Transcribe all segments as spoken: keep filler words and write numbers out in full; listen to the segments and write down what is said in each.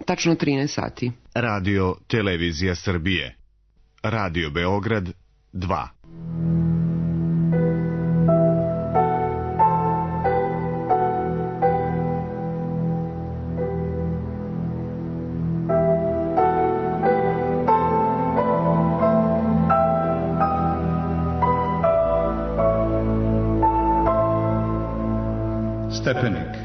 Tačno trinaest sati. Radio Televizija Srbije. Radio Beograd dva. Stepenik.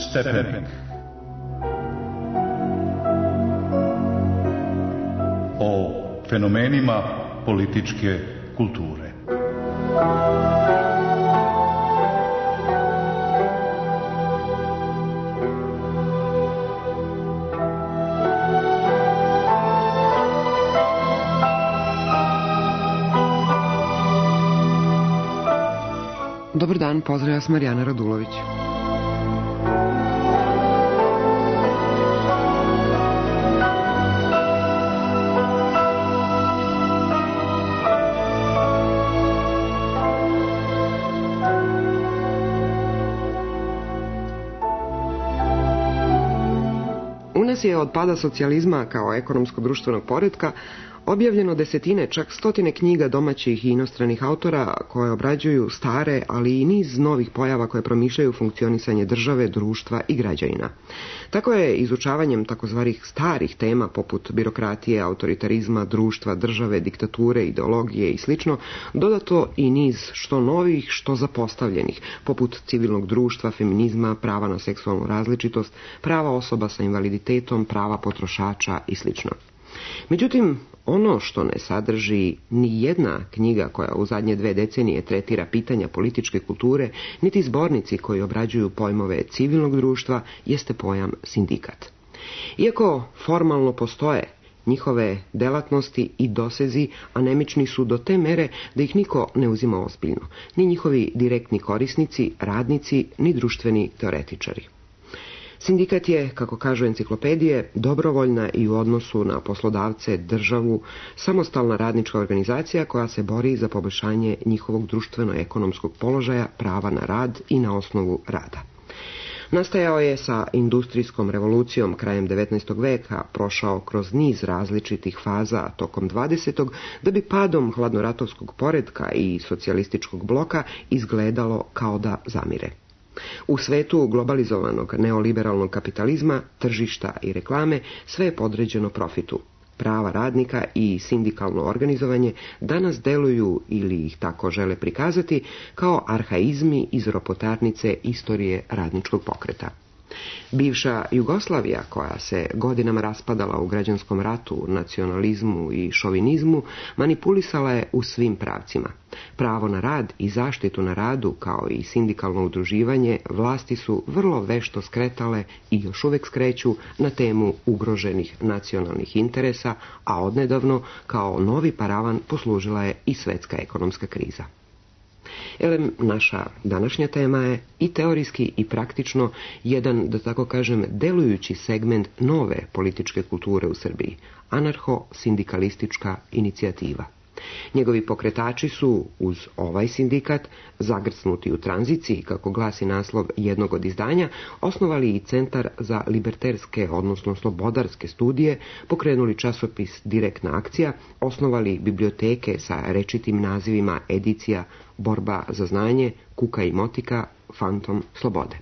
Stepenik. O fenomenima političke kulture. Dobar dan, pozdravlja vas Marijana Radulović. U nas je od pada socijalizma kao ekonomsko-društvenog poretka objavljeno desetine, čak stotine knjiga domaćih i inostranih autora koje obrađuju stare, ali i niz novih pojava koje promišljaju funkcionisanje države, društva i građanina. Tako je izučavanjem takozvanih starih tema poput birokratije, autoritarizma, društva, države, diktature, ideologije i sl. Dodato i niz što novih, što zapostavljenih, poput civilnog društva, feminizma, prava na seksualnu različitost, prava osoba sa invaliditetom, prava potrošača i sl. Međutim, ono što ne sadrži ni jedna knjiga koja u zadnje dve decenije tretira pitanja političke kulture, niti zbornici koji obrađuju pojmove civilnog društva, jeste pojam sindikat. Iako formalno postoje, njihove delatnosti i dosezi anemični su do te mere da ih niko ne uzima ozbiljno, ni njihovi direktni korisnici, radnici, ni društveni teoretičari. Sindikat je, kako kažu enciklopedije, dobrovoljna i u odnosu na poslodavce, državu, samostalna radnička organizacija koja se bori za poboljšanje njihovog društveno-ekonomskog položaja, prava na rad i na osnovu rada. Nastajao je sa industrijskom revolucijom krajem devetnaestog veka, prošao kroz niz različitih faza tokom dvadesetog da bi padom hladnoratovskog poretka i socijalističkog bloka izgledalo kao da zamire. U svetu globalizovanog neoliberalnog kapitalizma, tržišta i reklame sve je podređeno profitu. Prava radnika i sindikalno organizovanje danas deluju, ili ih tako žele prikazati, kao arhaizmi iz ropotarnice istorije radničkog pokreta. Bivša Jugoslavija, koja se godinama raspadala u građanskom ratu, nacionalizmu i šovinizmu, manipulisala je u svim pravcima. Pravo na rad i zaštitu na radu, kao i sindikalno udruživanje, vlasti su vrlo vešto skretale i još uvek skreću na temu ugroženih nacionalnih interesa, a odnedavno kao novi paravan poslužila je i svetska ekonomska kriza. Elem, naša današnja tema je i teorijski i praktično jedan, da tako kažem, delujući segment nove političke kulture u Srbiji, anarho-sindikalistička inicijativa. Njegovi pokretači su, uz ovaj sindikat, zagrcnuti u tranziciji, kako glasi naslov jednog od izdanja, osnovali i Centar za liberterske, odnosno slobodarske studije, pokrenuli časopis Direktna akcija, osnovali biblioteke sa rečitim nazivima edicija Borba za znanje, Kuka i motika, Fantom slobode.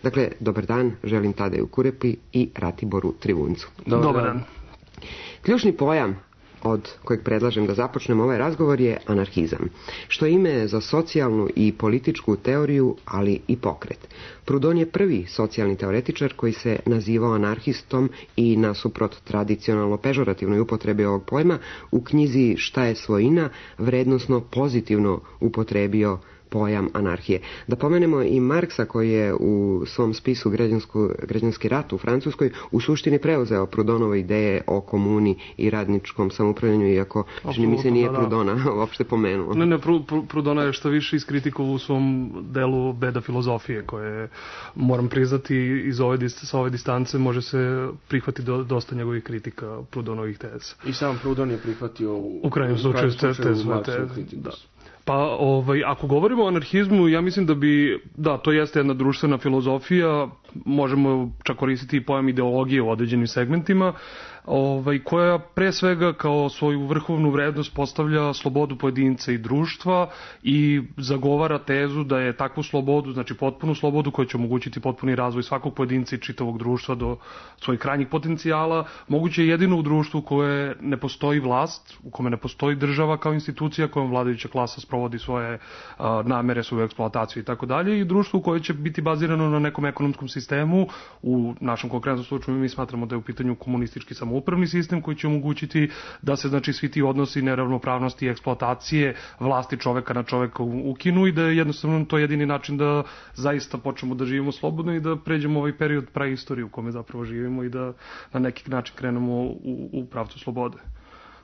Dakle, dobar dan, želim Tadeju Kurepi i Ratiboru Trivuncu. Dobar, dobar dan. Ključni pojam od kojeg predlažem da započnemo ovaj razgovor je anarhizam, što je ime za socijalnu i političku teoriju, ali i pokret. Proudhon je prvi socijalni teoretičar koji se nazivao anarhistom i nasuprot tradicionalno pežorativnoj upotrebi ovog pojma u knjizi Šta je svojina vrednosno pozitivno upotrebio pojam anarhije. Da pomenemo i Marksa koji je u svom spisu Građanski rat u Francuskoj u suštini preuzeo Proudhonove ideje o komuni i radničkom samoupravljanju, iako čini mi se nije da, da. Proudhona uopšte pomenuo. Ne, ne, Proudhona je što više iskritikovao u svom delu Beda filozofije, koje, moram priznati, iz ove, sa ove distance može se prihvatiti do, dosta njegovih kritika Proudhonovih teza. I sam Proudhon je prihvatio u, u krajnjem slučaju tezu. Da. Pa, ovaj, ako govorimo o anarhizmu, ja mislim da bi, da, to jeste jedna društvena filozofija, možemo čak koristiti i pojam ideologije u određenim segmentima, ovaj, koja pre svega kao svoju vrhovnu vrednost postavlja slobodu pojedinca i društva i zagovara tezu da je takvu slobodu, znači potpunu slobodu koja će omogućiti potpuni razvoj svakog pojedinca i čitavog društva do svojih krajnjih potencijala, moguće je jedino u društvu koje ne postoji vlast, u kome ne postoji država kao institucija kojom vladajuća klasa sprovodi svoje a, namere, svoju eksploataciju i tako dalje, i društvu koje će biti bazirano na nekom ekonomskom sistemu. U našem konkretnom slučaju mi smatramo da je u pitanju komunistički samoupravni sistem koji će omogućiti da se, znači, svi ti odnosi neravnopravnosti i eksploatacije vlasti čoveka na čoveka ukinu i da je jednostavno to jedini način da zaista počnemo da živimo slobodno i da pređemo ovaj period praistorije u kome zapravo živimo i da na neki način krenemo u, u pravcu slobode.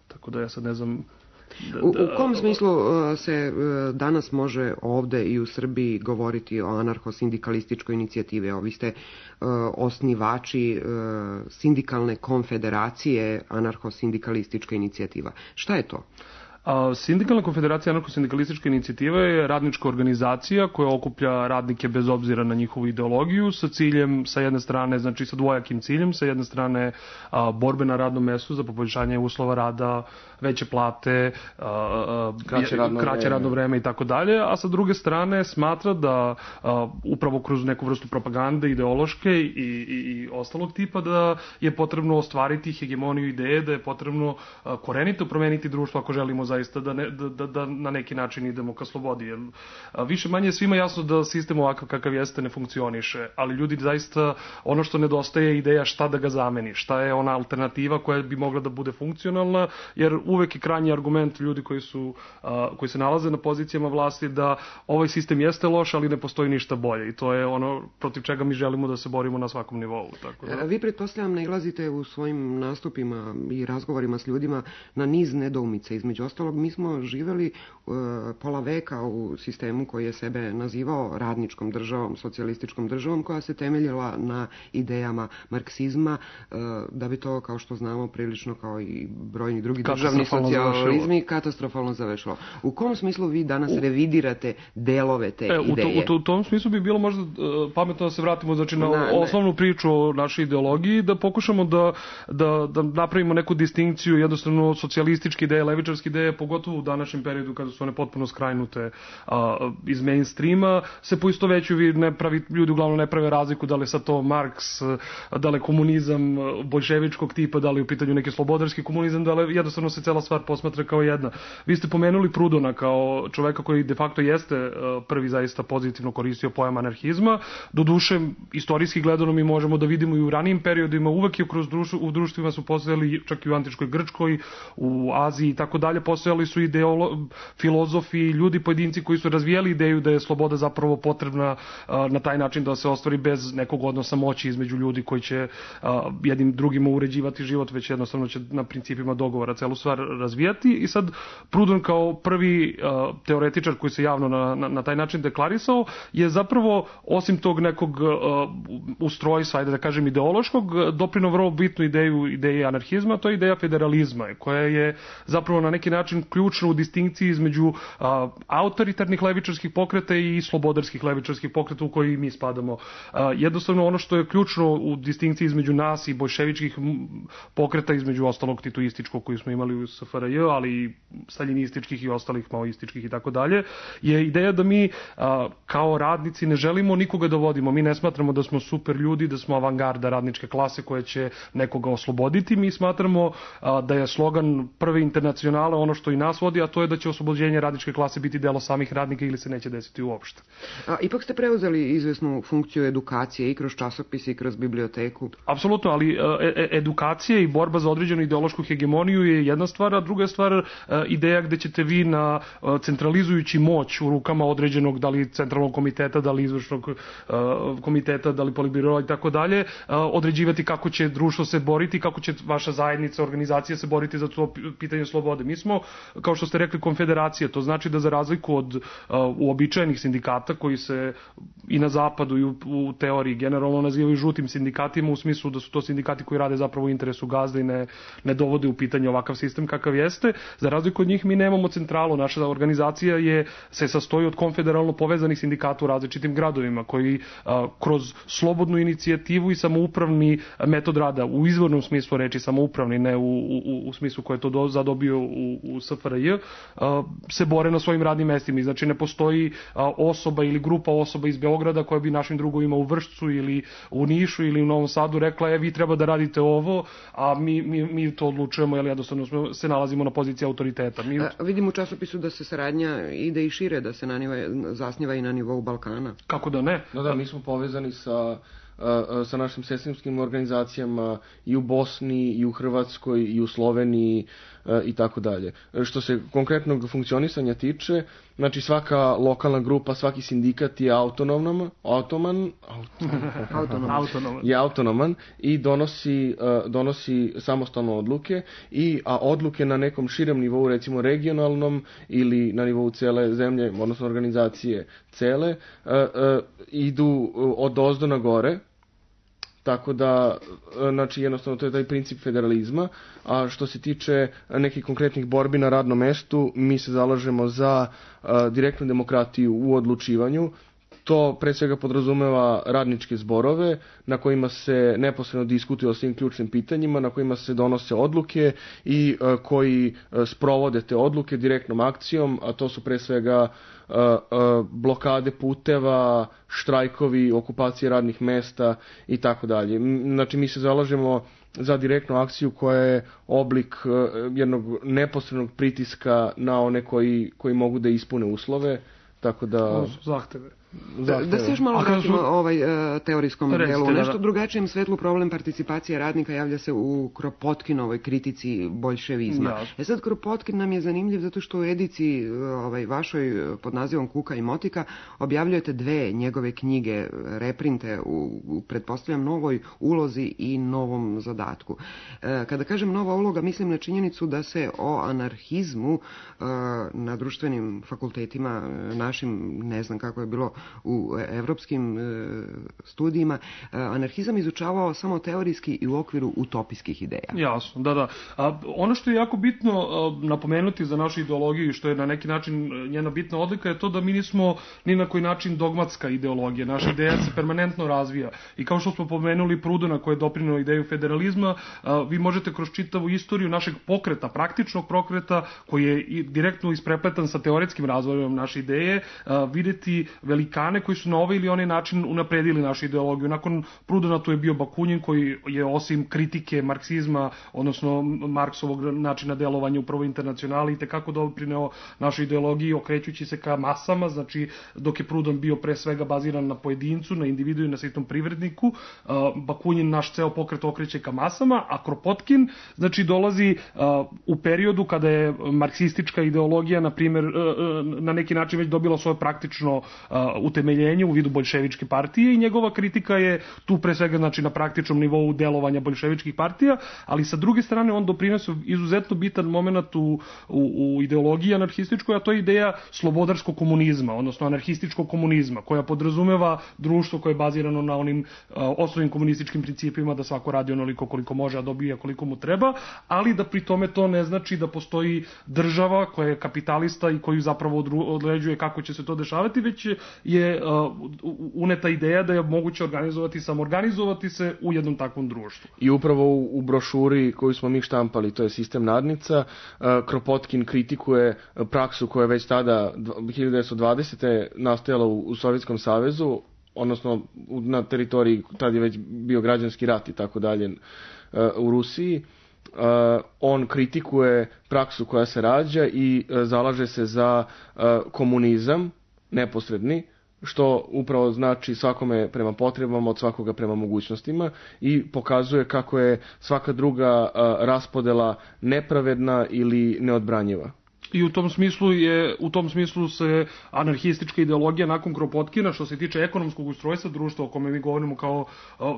Tako da ja sad ne znam... Da, u, u kom smislu uh, se uh, danas može ovde i u Srbiji govoriti o anarcho-sindikalističkoj inicijativi? Evo, vi ste uh, osnivači uh, sindikalne konfederacije anarcho-sindikalistička inicijativa. Šta je to? A, Sindikalna konfederacija anarcho-sindikalistička inicijativa je radnička organizacija koja okuplja radnike bez obzira na njihovu ideologiju sa ciljem, sa jedne strane, znači sa dvojakim ciljem, sa jedne strane a, borbe na radnom mestu za poboljšanje uslova rada, veće plate, a, a, kraće, radno, kraće vreme. radno vreme i tako dalje, a sa druge strane smatra da a, upravo kroz neku vrstu propagande ideološke i, i, i ostalog tipa da je potrebno ostvariti hegemoniju ideje, da je potrebno a, korenito promeniti društvo ako želimo zaista da, ne, da, da, da na neki način idemo ka slobodi. Jer, a, više manje svima jasno da sistem ovakav kakav jeste ne funkcioniše, ali ljudi zaista, ono što nedostaje je ideja šta da ga zameni, šta je ona alternativa koja bi mogla da bude funkcionalna, jer uvek je krajnji argument ljudi koji su a, koji se nalaze na pozicijama vlasti da ovaj sistem jeste loš, ali ne postoji ništa bolje, i to je ono protiv čega mi želimo da se borimo na svakom nivou. Tako da... Vi pretpostavljam nailazite u svojim nastupima i razgovorima s ljudima na niz nedoumica. Između ostalog, mi smo živeli uh, pola veka u sistemu koji je sebe nazivao radničkom državom, socijalističkom državom, koja se temeljila na idejama marksizma, uh, da bi to, kao što znamo, prilično kao i brojni drugi državni socijalizmi katastrofalno završilo. U kom smislu vi danas u... revidirate delove te e, ideje? U, to, u tom smislu bi bilo možda uh, pametno da se vratimo, znači, na, na osnovnu ne. priču o našoj ideologiji, da pokušamo da, da, da napravimo neku distinkciju, jednostavno socijalističke ideje, levičarske ideje, pogotovo u današnjem periodu kada su one potpuno skrajnute a, iz mainstreama, se poistovećuju, ne pravi, ljudi uglavnom ne prave razliku da li je sad to Marks, da li je komunizam boljševičkog tipa, da li je u pitanju neki slobodarski komunizam, da li jednostavno se cela stvar posmatra kao jedna. Vi ste pomenuli Prudona kao čoveka koji de facto jeste prvi zaista pozitivno koristio pojam anarhizma. Doduše, istorijski gledano mi možemo da vidimo i u ranijim periodima, uvek je kroz društvo, u društvima su postojali, čak i u antičkoj Grčkoj, u Aziji i tako dalje, postojali su ideolo, filozofi, ljudi, pojedinci koji su razvijali ideju da je sloboda zapravo potrebna a, na taj način da se ostvari bez nekog odnosa moći između ljudi koji će a, jednim drugima uređivati život, već jednostavno će na principima dogovora celu stvar razvijati. I sad Proudhon kao prvi a, teoretičar koji se javno na, na, na taj način deklarisao je zapravo, osim tog nekog a, ustrojstva, ajde da kažem ideološkog, doprineo vrlo bitnu ideju ideje anarhizma, to je ideja federalizma, koja je zapravo na neki način ključna u distinkciji između a, autoritarnih levičarskih pokreta i slobodarskih levičarskih pokreta u koji mi spadamo. A, jednostavno ono što je ključno u distinkciji između nas i bolševičkih pokreta, između ostalog titoističkog koji smo imali u S F R J, ali i staljinističkih i ostalih maoističkih i tako dalje, je ideja da mi a, kao radnici ne želimo nikoga da vodimo. Mi ne smatramo da smo super ljudi, da smo avangarda radničke klase koja će nekoga osloboditi. Mi smatramo a, da je slogan prve internacionale ono što i nas vodi, a to je da će oslobođenje radničke klase biti delo samih radnika ili se neće desiti uopšte. A, ipak ste preuzeli izvesnu funkciju edukacije i kroz časopise i kroz biblioteku. Apsolutno, ali e, edukacija i borba za određenu ideološku hegemoniju je jedna stvar, a druga stvar e, ideja gde ćete vi na e, centralizujući moć u rukama određenog, da li centralnog komiteta, da li izvršnog e, komiteta, da li politbiroa i tako dalje, određivati kako će društvo se boriti, kako će vaša zajednica, organizacija se boriti za to pitanje slobode. Mi smo kao što ste rekli, konfederacije. To znači da za razliku od uh, uobičajenih sindikata koji se i na zapadu i u, u teoriji generalno nazivaju žutim sindikatima, u smislu da su to sindikati koji rade zapravo u interesu gazde i ne, ne dovode u pitanje ovakav sistem kakav jeste, za razliku od njih mi nemamo centralu. Naša organizacija je, se sastoji od konfederalno povezanih sindikata u različitim gradovima koji a, kroz slobodnu inicijativu i samoupravni metod rada, u izvornom smislu reči samoupravni, ne u, u, u smislu koje je to do, zadobio u, u S F R J, a, se bore na svojim radnim mestima. Znači ne postoji a, osoba ili grupa osoba iz Beograda koja bi našim drugovima u Vršcu ili u Nišu ili u Novom Sadu rekla, je vi treba da radite ovo, a mi, mi, mi to odlučujemo, jer jednostavno se nalazimo na poziciji autoriteta. Mi... A, vidim u časopisu da se saradnja ide i šire, da se naniva, zasniva i na nivou Balkana. Kako da ne? No da, mi smo povezani sa, sa našim sestrinskim organizacijama i u Bosni, i u Hrvatskoj, i u Sloveniji i tako dalje. Što se konkretnog funkcionisanja tiče, znači svaka lokalna grupa, svaki sindikat je autonoman, automan, autonoman, autonoman. je autonoman i donosi, donosi samostalno odluke, i, a odluke na nekom širem nivou, recimo regionalnom ili na nivou cele zemlje, odnosno organizacije cele, idu od ozdo na gore. Tako da, znači, jednostavno to je taj princip federalizma, a što se tiče nekih konkretnih borbi na radnom mestu, mi se zalažemo za a, direktnu demokratiju u odlučivanju. To pre svega podrazumeva radničke zborove na kojima se neposredno diskutuje o svim ključnim pitanjima, na kojima se donose odluke i a, koji a, sprovode te odluke direktnom akcijom, a to su pre svega a, a, blokade puteva, štrajkovi, okupacije radnih mesta i tako dalje. Znači mi se zalažemo za direktnu akciju koja je oblik a, jednog neposrednog pritiska na one koji, koji mogu da ispune uslove, tako da... Zahteve. Da, da se još malo vratimo ovaj, uh, teorijskom Recite, delu. U da, nešto da. drugačijem svetlu problem participacije radnika javlja se u Kropotkinovoj kritici boljševizma. Ja. E sad, Kropotkin nam je zanimljiv zato što u edici ovaj, vašoj pod nazivom Kuka i motika objavljujete dve njegove knjige, reprinte u, u pretpostavljam novoj ulozi i novom zadatku. E, kada kažem nova uloga, mislim na činjenicu da se o anarhizmu e, na društvenim fakultetima našim, ne znam kako je bilo u evropskim e, studijima, e, anarhizam izučavao samo teorijski i u okviru utopijskih ideja. Jasno, da, da. A, ono što je jako bitno a, napomenuti za našu ideologiju, što je na neki način njena bitna odlika, je to da mi nismo ni na koji način dogmatska ideologija. Naša ideja se permanentno razvija. I kao što smo pomenuli Prudona koji je doprineo ideju federalizma, a, vi možete kroz čitavu istoriju našeg pokreta, praktičnog pokreta, koji je i direktno isprepletan sa teoretskim razvojem naše ideje, a, videti velikane koji su na ovaj ili onaj način unapredili našu ideologiju. Nakon Prudona tu je bio Bakunin koji je osim kritike marksizma, odnosno Marksovog načina delovanja u Prvoj internacionali i tekako doprineo našoj ideologiji okrećući se ka masama, znači dok je Prudon bio pre svega baziran na pojedincu, na individu i na sitnom privredniku, Bakunin naš ceo pokret okreće ka masama, a Kropotkin znači dolazi u periodu kada je marksistička ideologija na primjer na neki način već dobila svoje praktično utemeljenje u vidu boljševičke partije i njegova kritika je tu pre svega znači na praktičnom nivou delovanja boljševičkih partija, ali sa druge strane on doprinosi izuzetno bitan moment u, u, u ideologiji anarhističkoj, a to je ideja slobodarskog komunizma, odnosno anarhističkog komunizma, koja podrazumeva društvo koje je bazirano na onim uh, osnovnim komunističkim principima da svako radi onoliko koliko može, a dobija koliko mu treba, ali da pri tome to ne znači da postoji država koja je kapitalista i koju zapravo određuje kako će se to dešavati, već je uh, uneta ideja da je moguće organizovati, samoorganizovati se u jednom takvom društvu. I upravo u, u brošuri koju smo mi štampali, to je Sistem nadnica, uh, Kropotkin kritikuje praksu koja je već tada hiljadu devetsto dvadesete nastajala u, u Sovjetskom savezu, odnosno na teritoriji, tad je već bio građanski rat i tako dalje uh, u Rusiji. Uh, on kritikuje praksu koja se rađa i uh, zalaže se za uh, komunizam neposredni, što upravo znači svakome prema potrebama, od svakoga prema mogućnostima i pokazuje kako je svaka druga uh, raspodela nepravedna ili neodbranjiva. I u tom smislu je u tom smislu se anarhistička ideologija nakon Kropotkina, što se tiče ekonomskog ustrojstva društva o kome mi govorimo kao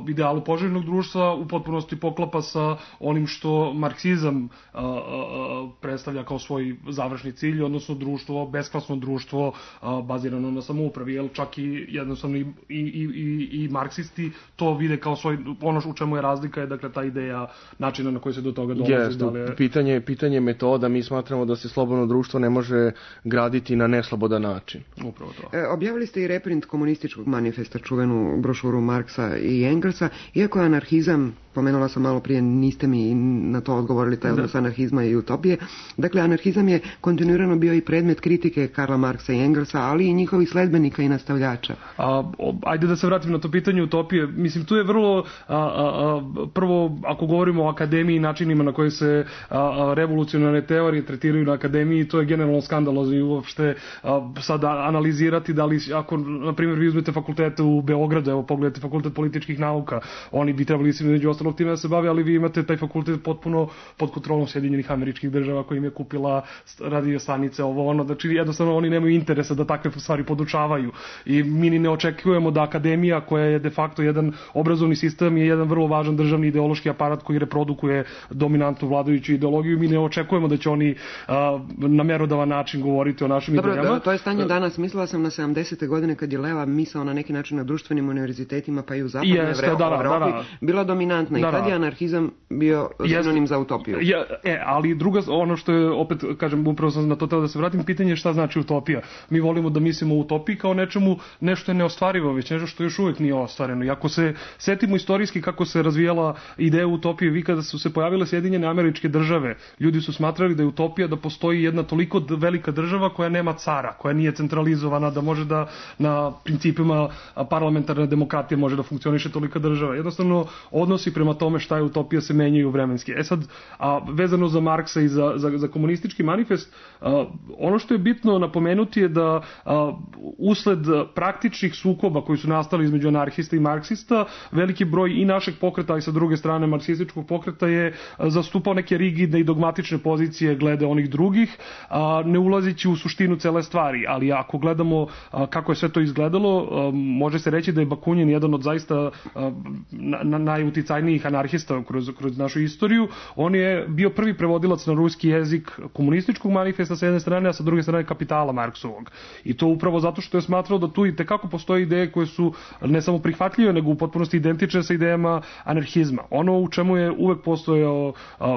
idealu poželjnog društva, u potpunosti poklapa sa onim što marksizam a, a, predstavlja kao svoj završni cilj, odnosno društvo, besklasno društvo a, bazirano na samoupravi, jer čak i jednostavno i, i, i, i marksisti to vide kao svoj, ono u čemu je razlika je dakle ta ideja načina na koji se do toga dolazi. Yes, da li je... pitanje, pitanje metoda, mi smatramo da se slobodno društvo ne može graditi na neslobodan način. Upravo to. E, objavili ste i reprint komunističkog manifesta, čuvenu brošuru Marksa i Engelsa, iako je anarhizam, pomenula sam malo prije, niste mi na to odgovorili, taj odnos anarhizma i utopije. Dakle, anarhizam je kontinuirano bio i predmet kritike Karla Marksa i Engelsa, ali i njihovih sledbenika i nastavljača. A, ajde da se vratim na to pitanje utopije. Mislim, tu je vrlo, a, a, a, prvo, ako govorimo o akademiji i načinima na koje se a, a, revolucionarne teorije tretiraju na akademiji, to je generalno skandalozno i uopšte a, sada analizirati da li, ako, na primjer, vi uzmete fakultete u Beogradu, evo, pogledajte fakultet političkih nauka, oni bi trebali se među ostalog time da se bave, ali vi imate taj fakultet potpuno pod kontrolom Sjedinjenih Američkih Država koji im je kupila radio stanice, ovo ono, znači jednostavno oni nemaju interesa da takve stvari podučavaju i mi ni ne očekujemo da akademija koja je de facto jedan obrazovni sistem je jedan vrlo važan državni ideološki aparat koji reprodukuje dominantnu vladajuću ideologiju, mi ne očekujemo da će oni a, na merodavan način govoriti o našim Dobro, idejama. Dobro, to je stanje danas. Mislila sam na sedamdesete godine kad je leva misao na neki način na društvenim univerzitetima pa i u zapadnoj Jeste, Evropi da, da, da. bila dominantna. Da, I tad je anarhizam bio sinonim za utopiju. Ja, e, ali druga, ono što je, opet, kažem, upravo sam na to teo da se vratim, pitanje je šta znači utopija. Mi volimo da mislimo o utopiji kao nečemu, nešto je neostvarivo, već nešto što još uvijek nije ostvareno. I ako se setimo istorijski kako se razvijala ideja utopije, vi kada su se pojavile Sjedinjene Američke Države, ljudi su smatrali da je utopija da postoji jedna toliko velika država koja nema cara, koja nije centralizovana, da može da na principima parlamentarne demokratije može da funkcioniše tolika država. Jednostavno, odnosi prema tome šta je utopija se menjaju vremenski. E sad, a, vezano za Marksa i za, za, za komunistički manifest, a, ono što je bitno napomenuti je da a, usled praktičnih sukoba koji su nastali između anarhista i marksista, veliki broj i našeg pokreta, i sa druge strane marksističkog pokreta je zastupao neke rigidne i dogmatične pozicije glede onih drugih, a, ne ulazići u suštinu cele stvari. Ali ako gledamo a, kako je sve to izgledalo, a, može se reći da je Bakunin jedan od zaista a, na, na, najuticajnijih anarhista kroz, kroz našu istoriju. On je bio prvi prevodilac na ruski jezik komunističkog manifesta sa jedne strane, a sa druge strane Kapitala Marksovog. I to upravo zato što je smatrao da tu i tekako postoje ideje koje su ne samo prihvatljive, nego u potpunosti identične sa idejama anarhizma. Ono u čemu je uvek postojao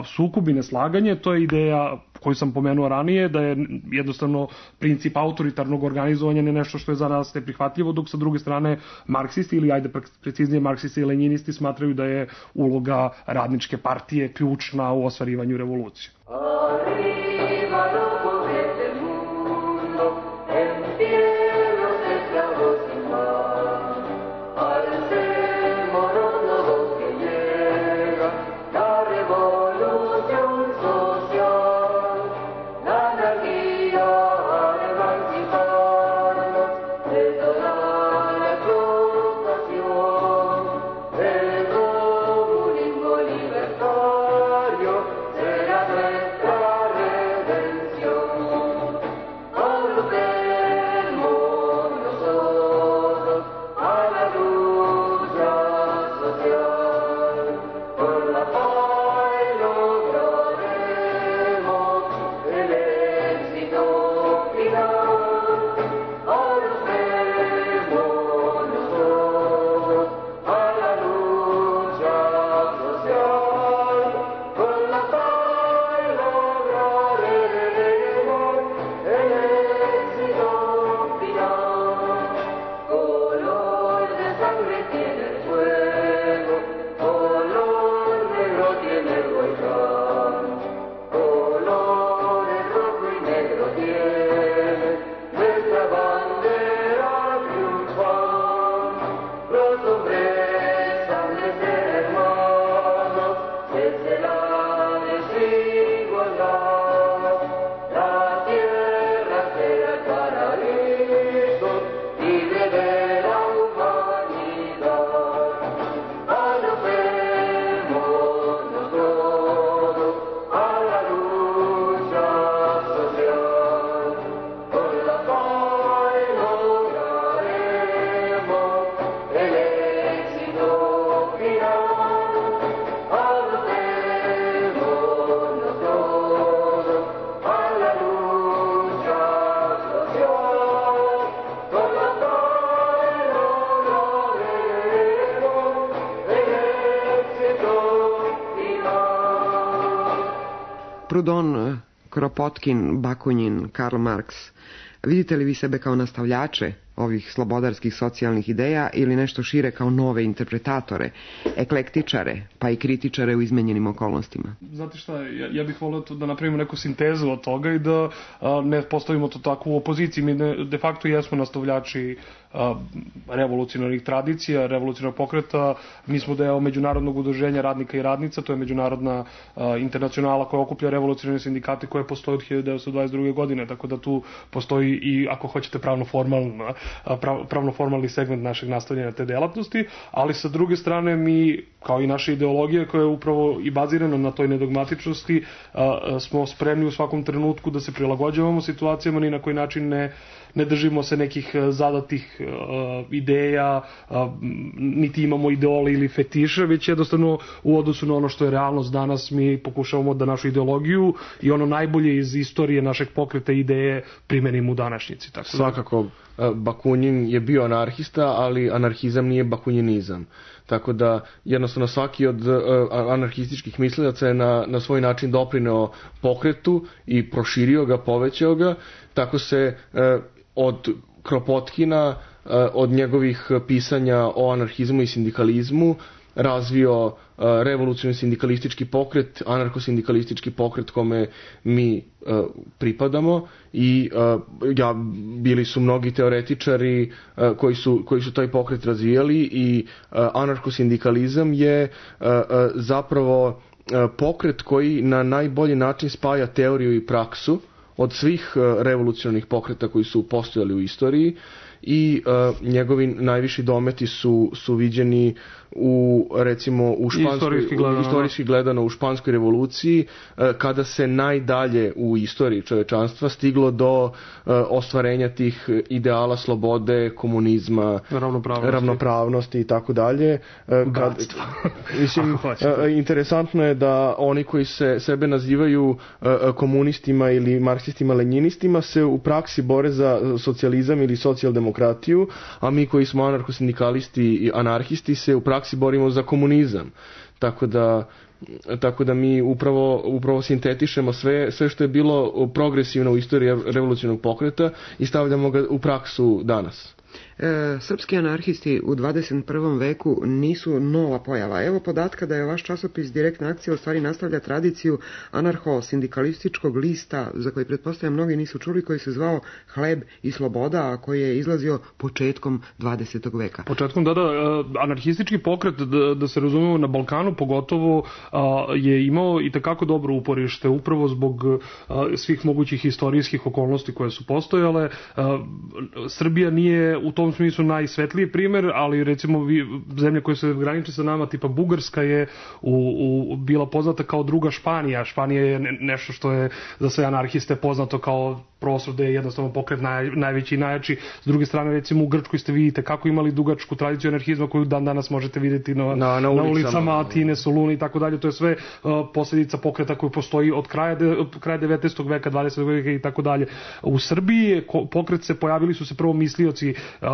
sukob i neslaganje, to je ideja koju sam pomenuo ranije, da je jednostavno princip autoritarnog organizovanja ne nešto što je za nas neprihvatljivo, dok sa druge strane marksisti, ili ajde preciznije marksisti i lenjinisti, smatraju da je uloga radničke partije ključna u ostvarivanju revolucije. Libertario, será nuestra Prudon, Kropotkin, Bakunin, Karl Marx. Vidite li vi sebe kao nastavljače ovih slobodarskih socijalnih ideja ili nešto šire kao nove interpretatore, eklektičare, pa i kritičare u izmenjenim okolnostima? Znate šta, ja, ja bih volio da napravimo neku sintezu od toga i da a, ne postavimo to tako u opoziciji. Mi ne, de facto jesmo nastavljači a, revolucionarnih tradicija, revolucionarnog pokreta. Mi smo deo međunarodnog udruženja radnika i radnica, to je međunarodna a, internacionala koja okuplja revolucionarne sindikate koje postoje od hiljadu devetsto dvadeset druge. godine, tako da tu postoji i, ako hoćete, pravno formalna pravno formalni segment našeg nastavljanja te delatnosti, ali sa druge strane mi, kao i naša ideologija koja je upravo i bazirana na toj nedogmatičnosti, smo spremni u svakom trenutku da se prilagođavamo situacijama, ni na koji način ne ne držimo se nekih zadatih uh, ideja, uh, niti imamo ideole ili fetiše, već jednostavno u odnosu na ono što je realnost danas mi pokušavamo da našu ideologiju i ono najbolje iz istorije našeg pokreta ideje primenimo u današnjici. Tako Svakako, Bakunin je bio anarhista, ali anarhizam nije bakuninizam. Tako da jednostavno svaki od uh, anarhističkih mislilaca je na, na svoj način doprineo pokretu i proširio ga, povećao ga. Tako se uh, od Kropotkina, uh, od njegovih pisanja o anarhizmu i sindikalizmu razvio uh, revolucionarni sindikalistički pokret, anarkosindikalistički pokret kome mi uh, pripadamo i uh, ja, bili su mnogi teoretičari uh, koji, su, koji su taj pokret razvijali i uh, anarkosindikalizam je uh, uh, zapravo uh, pokret koji na najbolji način spaja teoriju i praksu od svih uh, revolucionarnih pokreta koji su postojali u istoriji i uh, njegovi najviši dometi su, su viđeni u, recimo, u španskoj, istorijski gledano, istorijski gledano u španskoj revoluciji, uh, kada se najdalje u istoriji čovečanstva stiglo do uh, ostvarenja tih ideala slobode, komunizma, ravnopravnosti, ravnopravnosti i tako dalje. Uh, kad, mislim, uh, interesantno je da oni koji se sebe nazivaju uh, komunistima ili marksistima, lenjinistima se u praksi bore za socijalizam ili socijaldemokratiju, a mi koji smo anarkosindikalisti i anarhisti se u praksi borimo za komunizam. Tako da, tako da mi upravo, upravo sintetišemo sve, sve što je bilo progresivno u istoriji revolucionarnog pokreta i stavljamo ga u praksu danas. E, srpski anarhisti u dvadeset prvom veku nisu nova pojava. Evo podatka da je vaš časopis Direktna akcija u stvari nastavlja tradiciju anarho-sindikalističkog lista, za koji pretpostavljam mnogi nisu čuli, koji se zvao Hleb i sloboda, a koji je izlazio početkom dvadesetog veka. Početkom, da, da, anarhistički pokret, da, da se razumemo, na Balkanu pogotovo je imao i takako dobro uporište, upravo zbog svih mogućih istorijskih okolnosti koje su postojale. Srbija nije u tom smislu najsvetliji primjer, ali recimo zemlje koje se graniče sa nama, tipa Bugarska, je u, u, bila poznata kao druga Španija. Španija je nešto što je za sve anarhiste poznato kao prostor da je jednostavno pokret naj, najveći i najjači. S druge strane, recimo u Grčkoj ste vidite kako imali dugačku tradiciju anarhizma koju dan danas možete vidjeti na, na, na, ulicama, na ulicama Atine, Soluna i tako dalje. To je sve uh, posljedica pokreta koji postoji od kraja, de, od kraja devetnaestog veka, dvadesetog veka i tako dalje. U Srbiji pokret se pojavili su se prvo mislioci, uh,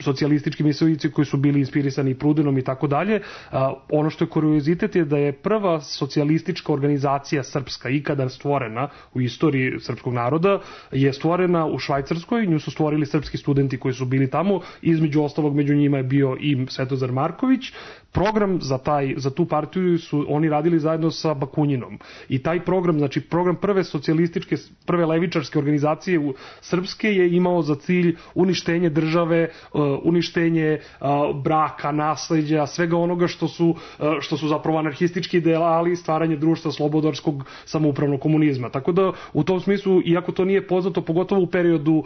socijalistički mislioci koji su bili inspirisani Prudenom i tako dalje. Uh, ono što je kuriozitet je da je prva socijalistička organizacija srpska ikada stvorena u istoriji srpskog naroda je stvorena u Švajcarskoj, nju su stvorili srpski studenti koji su bili tamo, između ostalog među njima je bio i Svetozar Marković. Program za, taj, za tu partiju su oni radili zajedno sa Bakuninom. I taj program, znači program prve socijalističke, prve levičarske organizacije u srpske je imao za cilj uništenje države, uništenje braka, nasleđa, svega onoga što su, što su zapravo anarhistički ideali, stvaranje društva slobodarskog samoupravnog komunizma. Tako da u tom smislu, iako to nije poznato, pogotovo u periodu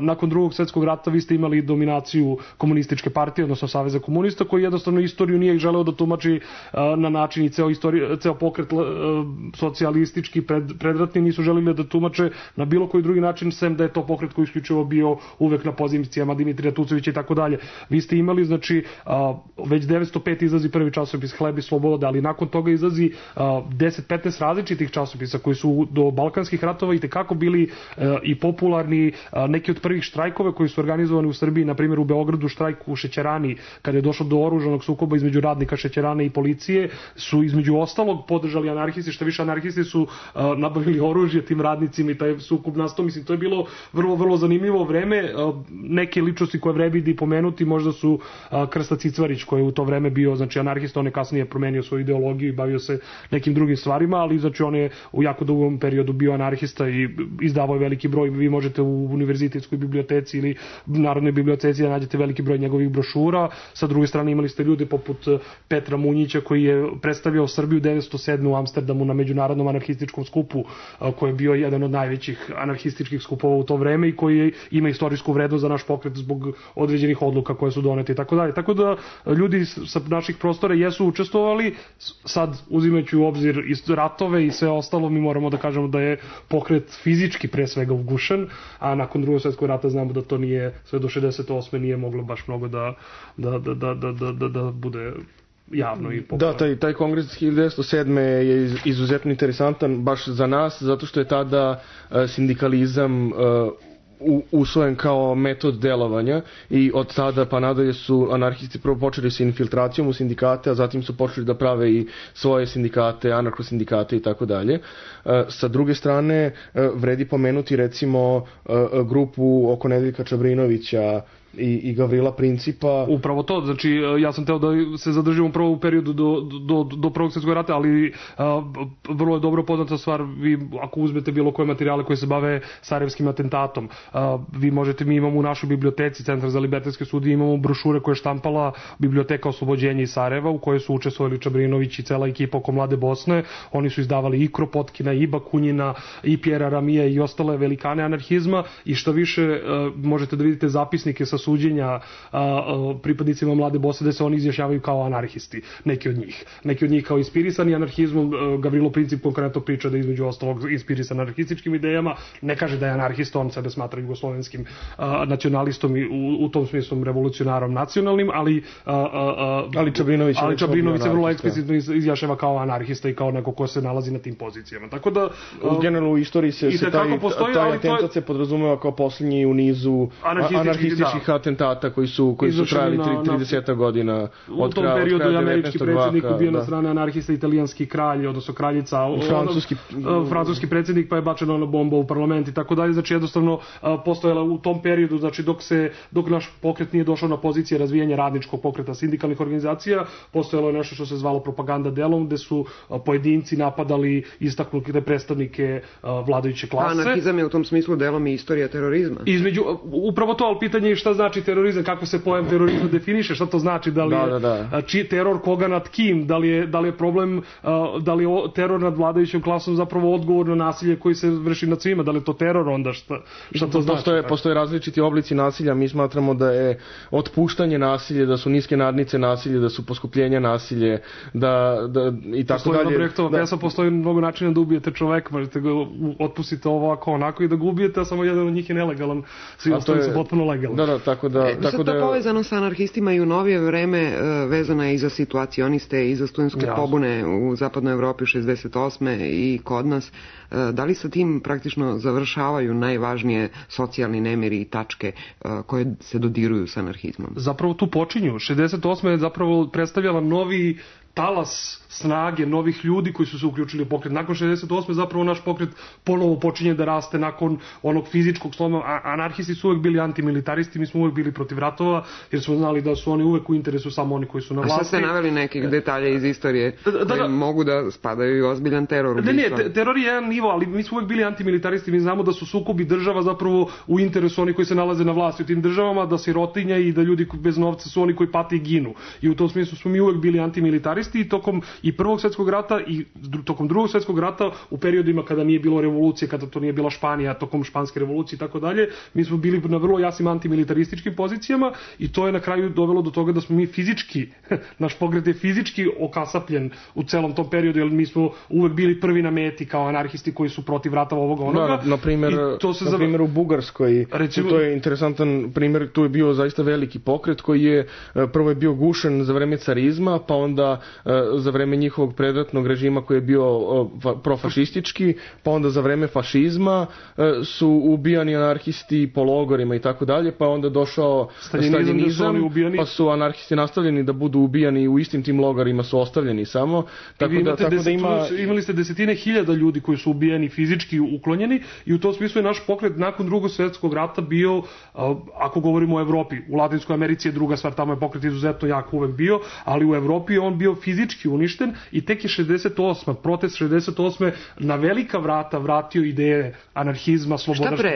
nakon drugog svjetskog rata, vi ste imali dominaciju komunističke partije, odnosno Saveza komunista, koji jednostavno istoriju nije želeo da tumači na način i ceo, istori, ceo pokret socijalistički pred, predratni nisu želili da tumače na bilo koji drugi način, sem da je to pokret koji isključivo bio uvek na pozicijama Dimitrija Tucovića i tako dalje. Vi ste imali, znači, već devetsto pet izlazi prvi časopis Hleb i sloboda, ali nakon toga izlazi deset petnaest različitih časopisa koji su do balkanskih ratova i tekako bili i popularni. Neki od prvih štrajkova koji su organizovani u Srbiji, na primjer u Beogradu štrajk u Šećerani, kada je došlo do oružanog sukoba između između radnika šećerane i policije su između ostalog podržali anarhisti, što više anarhisti su a, nabavili oružje tim radnicima i taj sukob nastao. Mislim, to je bilo vrlo, vrlo zanimljivo vreme. A, neke ličnosti koje vredi pomenuti možda su a, Krsta Cicvarić, koji je u to vreme bio, znači, anarhista, on je kasnije promenio svoju ideologiju i bavio se nekim drugim stvarima, ali znači on je u jako dugom periodu bio anarhista i izdavao je veliki broj. Vi možete u univerzitetskoj biblioteci ili Narodnoj biblioteci da nađete veliki broj njegovih brošura. Sa druge strane imali ste ljude poput Petra Munjića, koji je predstavljao Srbiju devetsto sedme u Amsterdamu na međunarodnom anarhističkom skupu, koji je bio jedan od najvećih anarhističkih skupova u to vreme i koji ima istorijsku vrednost za naš pokret zbog određenih odluka koje su donete i tako dalje. Tako da ljudi sa naših prostora jesu učestvovali. Sad, uzimajući u obzir i ratove i sve ostalo, mi moramo da kažemo da je pokret fizički pre svega ugušen, a nakon Drugog svjetskog rata znamo da to nije, sve do šezdeset osme nije moglo baš mnogo da, da, da, da, da, da, da bude javno i popularno. Da, taj, taj kongres hiljadu devetsto sedme je izuzetno interesantan baš za nas, zato što je tada sindikalizam usvojen kao metod delovanja i od tada pa nadalje su anarhisti prvo počeli sa infiltracijom u sindikate, a zatim su počeli da prave i svoje sindikate, anarhosindikate i tako dalje. Sa druge strane, vredi pomenuti recimo grupu oko Nedeljka Čabrinovića i, i Gavrila Principa. Upravo to, znači ja sam teo da se zadržim upravo u periodu do, do, do Prvog svjetskog rata, ali a, vrlo je dobro poznata stvar, vi ako uzmete bilo koje materijale koje se bave sarajevskim atentatom, a, vi možete, mi imamo u našoj biblioteci, Centar za libertetske studije, imamo brošure koje je štampala Biblioteka oslobođenja iz Sarajeva, u kojoj su učestvovali Čabrinović i cela ekipa oko Mlade Bosne. Oni su izdavali i Kropotkina, i Bakunjina, i Pjera Ramija i ostale velikane anarhizma, i što više a, možete da vidite zapisnike sa suđenja a, a, pripadnicima Mlade Bosne da se oni izjašnjavaju kao anarhisti, neki od njih. Neki od njih kao inspirisani anarhizmom. Gavrilo Princip konkretno priča da između ostalog inspirisan anarhističkim idejama. Ne kaže da je anarhista, on sebe smatra jugoslovenskim a, nacionalistom i u, u tom smislu revolucionarom nacionalnim, ali a, a, ali Čabrinović, ali Čabrinović se vrlo eksplicitno izjašnjava kao anarhista i kao neko ko se nalazi na tim pozicijama. Tako da u generalno u istoriji se, se taj, postoji, taj atentat se podrazumeva kao posljednji u nizu anarhističkih atentata koji su koji su trajali trideset godina od kraja. U tom periodu je američki predsjednik ubio na strane anarhista, italijanski kralj, odnosno kraljica, francuski francuski predsjednik, pa je bačena ona bomba u parlament i tako dalje. Znači jednostavno postojala u tom periodu, znači dok se dok naš pokret nije došao na pozicije razvijanja radničkog pokreta, sindikalnih organizacija, postojalo je nešto što se zvalo propaganda delom, gde su pojedinci napadali istaknute predstavnike vladajuće klase. Anarhizam je u tom smislu delom i istorija terorizma. Između upravo to, ali pitanje je šta znači terorizam, kako se pojam terorizma definiše, šta to znači, da li je da, da, da. Či, teror koga nad kim, da li je, da li je problem, da li je teror nad vladajućom klasom zapravo odgovor na nasilje koji se vrši nad svima, da li je to teror onda, šta, šta to znači? Postoje, postoje različiti oblici nasilja, mi smatramo da je otpuštanje nasilje, da su niske nadnice nasilje, da su poskupljenja nasilje, da, da i tako postoji dalje. Brechtova da. Pesa, postoji mnogo načina da ubijete čoveka, možete ga otpustiti ovako onako i da ga ubijete, a samo jedan od njih je nelegalan, svi ostali su potpuno legalni. Da, da, tako da... E, tako sad to da... povezano sa anarhistima i u novije vreme uh, vezano je i za situacioniste i za studentske ja. pobune u zapadnoj Evropi šezdeset osme i kod nas. Uh, da li sa tim praktično završavaju najvažnije socijalni nemiri i tačke uh, koje se dodiruju sa anarhizmom? Zapravo tu počinju. šezdeset osme je zapravo predstavljala novi talas snage novih ljudi koji su se uključili u pokret. Nakon šezdeset osme zapravo naš pokret ponovo počinje da raste nakon onog fizičkog sloma. Anarhisti su uvek bili antimilitaristi, mi smo uvek bili protiv ratova, jer smo znali da su oni uvek u interesu samo oni koji su na vlasti. A šta ste naveli nekih detalja iz istorije da, da, da, mogu da spadaju i ozbiljan teror? Ne, ne, te, teror je jedan nivo, ali mi smo uvek bili antimilitaristi, mi znamo da su sukobi država zapravo u interesu oni koji se nalaze na vlasti u tim državama, da sirotinja i da ljudi bez novca su oni koji pate i ginu. I u tom smislu smo mi uvek bili antimilitaristi i tokom i Prvog svjetskog rata i tokom Drugog svjetskog rata u periodima kada nije bilo revolucije, kada to nije bila Španija, tokom španske revolucije i tako dalje, mi smo bili na vrlo jasnim antimilitarističkim pozicijama i to je na kraju dovelo do toga da smo mi fizički, naš pokret je fizički okasapljen u celom tom periodu, jer mi smo uvek bili prvi na meti kao anarhisti koji su protiv ratova ovoga onoga. Da, na primjer, na zav... primjer u Bugarskoj, recimo, to je interesantan primjer, tu je bio zaista veliki pokret koji je prvo je bio gušen za vreme carizma, pa onda za vreme njihovog predratnog režima koji je bio profašistički, pa onda za vreme fašizma su ubijani anarhisti po logorima i tako dalje, pa onda došao staljinizam, pa su anarhisti nastavljeni da budu ubijani u istim tim logorima su ostavljeni samo. Tako da, tako da ima... Imali ste desetine hiljada ljudi koji su ubijeni, fizički uklonjeni i u tom smislu je naš pokret nakon drugog svjetskog rata bio, ako govorimo o Evropi, u Latinskoj Americi je druga stvar, tamo je pokret izuzetno jak uvek bio, ali u Evropi je on bio fizički uništen i tek je šezdeset osme protest šezdeset osme na velika vrata vratio ideje anarhizma, sloboda. Šta pre,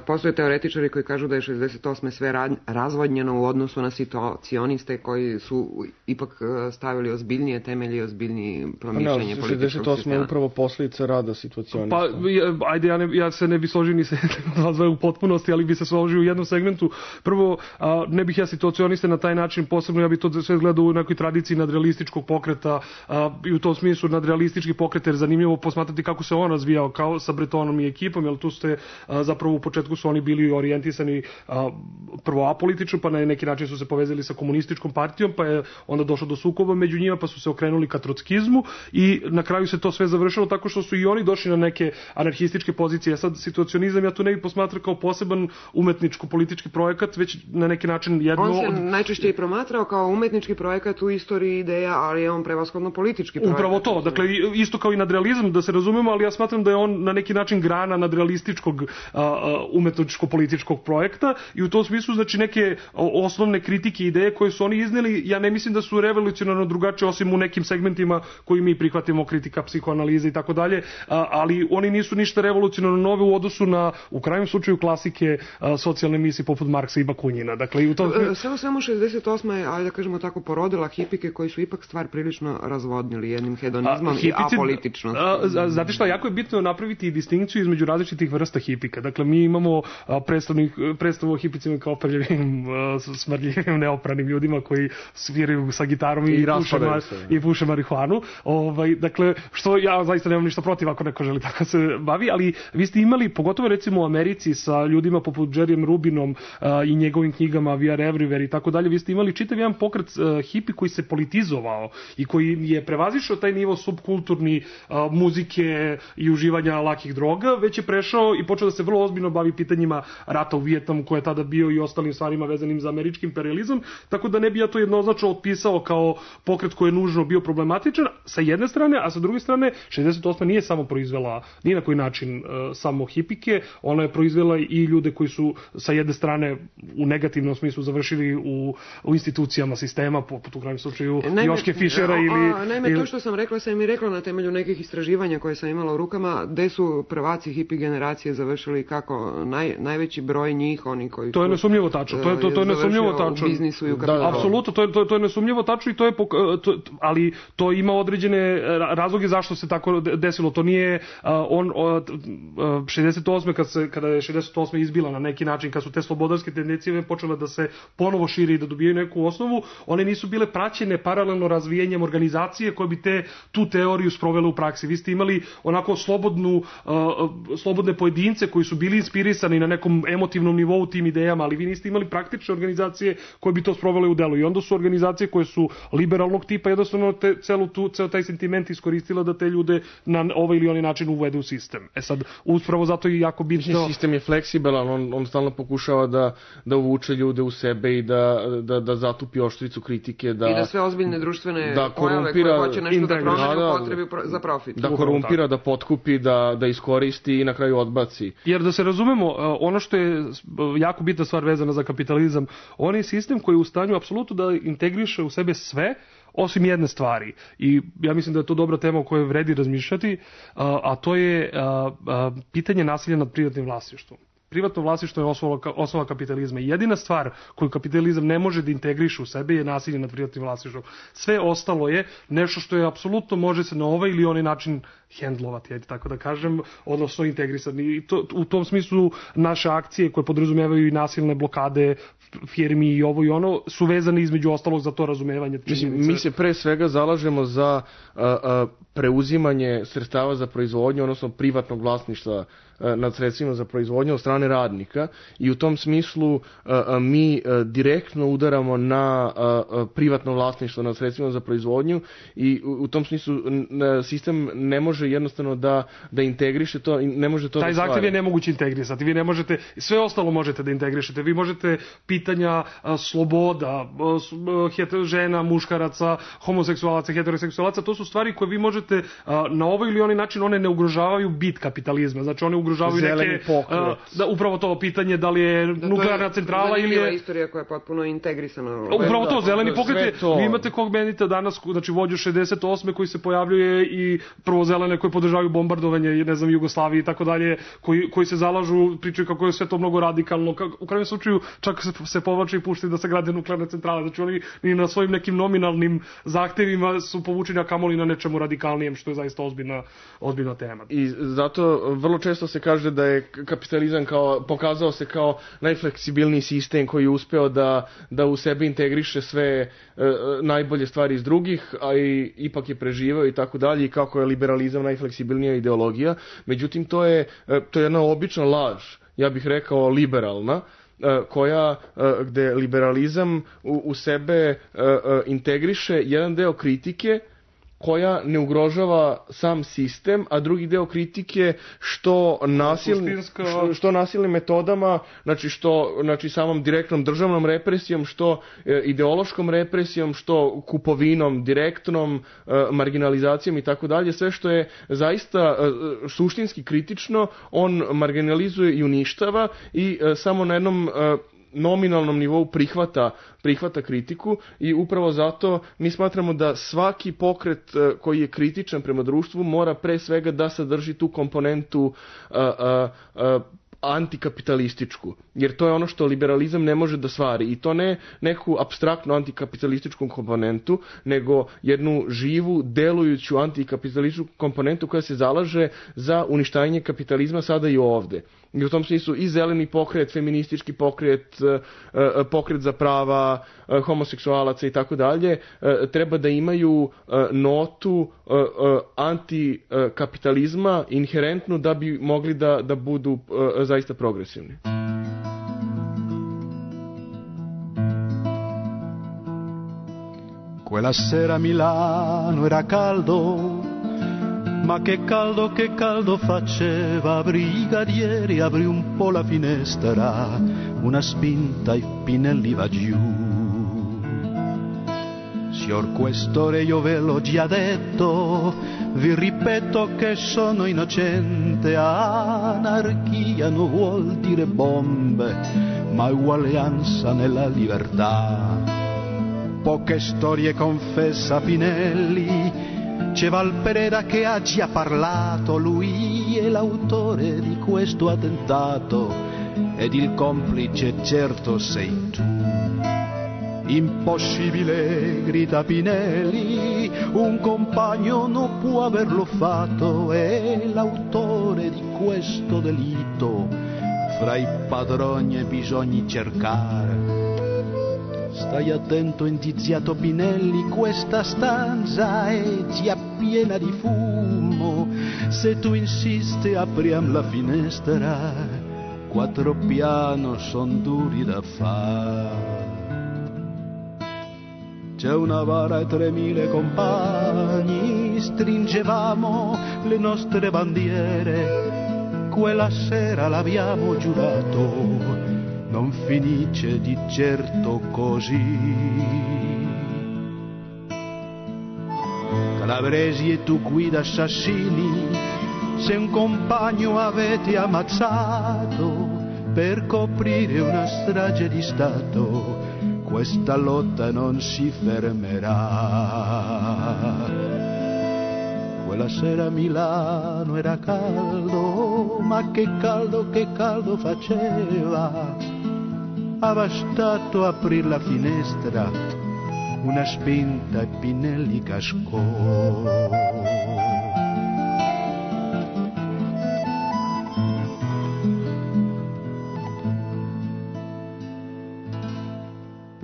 postoje teoretičari koji kažu da je šezdeset osme sve razvodnjeno u odnosu na situacioniste koji su ipak stavili ozbiljnije temelje i ozbiljnije promišljanje političkog sistema. šezdeset osme je upravo posljedica rada situacionista. Pa, ajde, ja, ne, ja se ne bi složio ni se u potpunosti, ali bi se složio u jednom segmentu. Prvo, a, ne bih ja situacioniste na taj način, posebno ja bih to sve gledao u nekoj tradiciji nadrealističkog pokreta a, i u tom smislu nadrealistički pokret, jer zanimljivo posmatrati kako se on razvijao kao sa Bretonom i ekipom, jer tu ste a, zapravo u početku su oni bili orijentisani a, prvo apolitično, pa na neki način su se povezali sa komunističkom partijom, pa je onda došlo do sukoba među njima, pa su se okrenuli ka trockizmu i na kraju se to sve završilo tako što su i oni došli na neke anarhističke pozicije. Sad situacionizam ja tu ne bih posmatrao kao poseban umetničko-politički projekat, već na neki način jedno... On se od... najčešće i promatrao kao umetnički projekat u istoriji ideja, ali je on prevashodno politički projekat. Upravo to, dakle isto kao i nadrealizam, da se razumemo, ali ja smatram da je on na neki način grana nadrealističkog umetničko-političkog projekta i u tom smislu znači neke osnovne kritike i ideje koje su oni izneli, ja ne mislim da su revolucionarno drugačije osim u nekim segmentima koji mi prihvatimo, kritika psihoanalize i tako dalje, ali oni nisu ništa revolucionarno nove u odnosu na, u krajnjem slučaju, klasike a, socijalne misli poput Marksa i Bakunjina. Dakle, i u tom... Samo samo šezdeset osma je, ajde da kažemo tako, porodila hipike koji su ipak stvar prilično razvodnili jednim hedonizmom a, hipici, i apolitičnostom. Znate šta, jako je bitno napraviti distinkciju između različitih vrsta hipika. Dakle, mi imamo predstavu o hipicima kao prljavim, smrdljivim, neopranim ljudima koji sviraju sa gitarom i, i, puše, ma, i puše marihuanu. Ovaj, dakle, što ja zaista nemam ništa protiv ako neko želi tako se bavi, ali vi ste imali, pogotovo recimo u Americi sa ljudima poput Jerryem Rubinom uh, i njegovim knjigama We Are Everywhere i tako dalje, vi ste imali čitav jedan pokret uh, hipi koji se politizovao i koji je prevazišao taj nivo subkulturni uh, muzike i uživanja lakih droga, već je prešao i počeo da se vrlo ozbiljno bavi pitanjima rata u Vijetnamu koji je tada bio i ostalim stvarima vezanim za američki imperializam, tako da ne bi ja to jednoznačno otpisao kao pokret koji je nužno bio problematičan sa jedne strane, a sa druge strane šezdeset osma nije samo proizvela ni na koji način uh, samo hipike, ona je proizvela i ljude koji su sa jedne strane u negativnom smislu završili u, u institucijama sistema, poput u krajnjem slučaju naime, Joške Fišera ili... A, naime, ili... to što sam rekla sam i rekla na temelju nekih istraživanja koje sam imala u rukama, gde su prvaci hipi generacije završili kako naj, najveći broj njih, oni koji to je nesumnjivo tačno, to je, to, to je nesumnjivo tačno. U biznisu i u kapitalu. Apsolutno, to je, to, to je nesumnjivo tačno i to je, to, ali to ima određene razloge zašto se tako desilo. To nije uh, on od uh, šezdeset osme kad se kada je šezdeset osme izbila na neki način, kad su te slobodarske tendencije počele da se ponovo šire i da dobijaju neku osnovu, one nisu bile praćene paralelno razvijenjem organizacije koje bi te tu teoriju sprovele u praksi. Vi ste imali onako slobodnu uh, slobodne pojedince koji su bili inspirisani na nekom emotivnom nivou tim idejama, ali vi niste imali praktične organizacije koje bi to sprovele u delu. I onda su organizacije koje su liberalnog tipa jednostavno te, celu tu, ceo taj sentiment iskoristila da te ljude na ovaj ili onaj način uvedu u sistem. E sad, uspravo zato i jako bitno... Sistem je fleksibilan, on, on stalno pokušava da, da uvuče ljude u sebe i da, da, da zatupi oštricu kritike, da... I da sve ozbiljne društvene da pojave koje hoće nešto da promene u potrebi za profit. Da korumpira, da potkupi, da, da iskoristi i na kraju odbaci. Jer da se razumemo, ono što je jako bitna stvar vezana za kapitalizam, on je sistem koji je u stanju apsolutno da integriše u sebe sve, osim jedne stvari. I ja mislim da je to dobra tema o kojoj vredi razmišljati, a to je pitanje nasilja nad privatnim vlasništvom. Privatno vlasništvo je osnova, osnova kapitalizma i jedina stvar koju kapitalizam ne može da integriše u sebe je nasilje nad privatnim vlasništvom. Sve ostalo je nešto što je apsolutno može se na ovaj ili onaj način hendlovati, ajde tako da kažem, odnosno integrisani. I to, u tom smislu naše akcije koje podrazumevaju i nasilne blokade firmi i ovo i ono su vezane između ostalog za to razumevanje činjenice. Mi se pre svega zalažemo za a, a, preuzimanje sredstava za proizvodnju, odnosno privatnog vlasništva a, nad sredstvima za proizvodnju od strane radnika i u tom smislu a, a, mi a, direktno udaramo na a, a, privatno vlasništvo nad sredstvima za proizvodnju i u, u tom smislu n, sistem ne može jednostavno da, da integriše to, ne može to Taj da zahtev je nemoguće integrisati. Vi ne možete, sve ostalo možete da integrišete. Vi možete pitanja a, sloboda, a, a, žena, muškaraca, homoseksualaca, heteroseksualaca, to su stvari koje vi možete a, na ovaj ili onaj način, one ne ugrožavaju bit kapitalizma. Znači one ugrožavaju zeleni neke a, da, upravo to pitanje da li je da, nuklearna je centrala ili je istorija koja je potpuno integrisana. Upravo to, zeleni pokret. To... Vi imate kog menite danas, znači vođu šezdeset osme koji se pojavljuje i prvo zelene koji podržavaju bombardovanje, ne znam, Jugoslavije i tako dalje, koji koji se zalažu, pričaju kako je sve to mnogo radikalno. U krajnjem slučaju čak se, se povlače i puštaju da se grade nuklearne centrale. Znači oni ni na svojim nekim nominalnim zahtevima su povučeni, a kamoli na nečemu radikalnijem, što je zaista ozbiljna, ozbiljna tema. I zato vrlo često se kaže da je kapitalizam kao, pokazao se kao najfleksibilniji sistem koji je uspeo da, da u sebi integriše sve e, najbolje stvari iz drugih, a i ipak je preživeo i tako dalje, i kako je liberalizam najfleksibilnija ideologija. Međutim, to je, to je jedna obična laž, ja bih rekao liberalna, koja, gde liberalizam u, u sebe integriše jedan deo kritike koja ne ugrožava sam sistem, a drugi deo kritike što nasilni, što, što nasilnim metodama, znači što znači samom direktnom državnom represijom, što e, ideološkom represijom, što kupovinom direktnom, e, marginalizacijom i tako dalje, sve što je zaista e, suštinski kritično, on marginalizuje i uništava i e, samo na jednom e, nominalnom nivou prihvata, prihvata kritiku i upravo zato mi smatramo da svaki pokret koji je kritičan prema društvu mora pre svega da sadrži tu komponentu a, a, a, antikapitalističku, jer to je ono što liberalizam ne može da stvari, i to ne neku apstraktnu antikapitalističku komponentu, nego jednu živu, delujuću antikapitalističku komponentu koja se zalaže za uništavanje kapitalizma sada i ovde. I u tom smislu i zeleni pokret, feministički pokret, pokret za prava homoseksualaca i tako dalje, treba da imaju notu antikapitalizma inherentnu da bi mogli da, da budu zaista progresivni. Quella sera a Milano era caldo, ma che caldo, che caldo faceva, brigadieri, aprì un po' la finestra, una spinta e Pinelli va giù. Signor Questore, io ve l'ho già detto, vi ripeto che sono innocente, anarchia non vuol dire bombe, ma uguaglianza nella libertà. Poche storie confessa Pinelli, c'è Valpereda che ha già parlato, lui è l'autore di questo attentato ed il complice certo sei tu. Impossibile, grida Pinelli, un compagno non può averlo fatto, è l'autore di questo delitto, fra i padroni bisogna cercare. Stai attento, indiziato Pinelli, questa stanza è già piena di fumo, se tu insisti apriam la finestra, quattro piano son duri da fare. C'è una bara e tremila compagni, stringevamo le nostre bandiere, quella sera l'abbiamo giurato, non finisce di certo così. Calabresi e tu guida assassini, se un compagno avete ammazzato per coprire una strage di Stato, questa lotta non si fermerà. Quella sera a Milano era caldo, ma che caldo, che caldo faceva. Ha bastato aprire la finestra, una spinta e Pinelli cascò.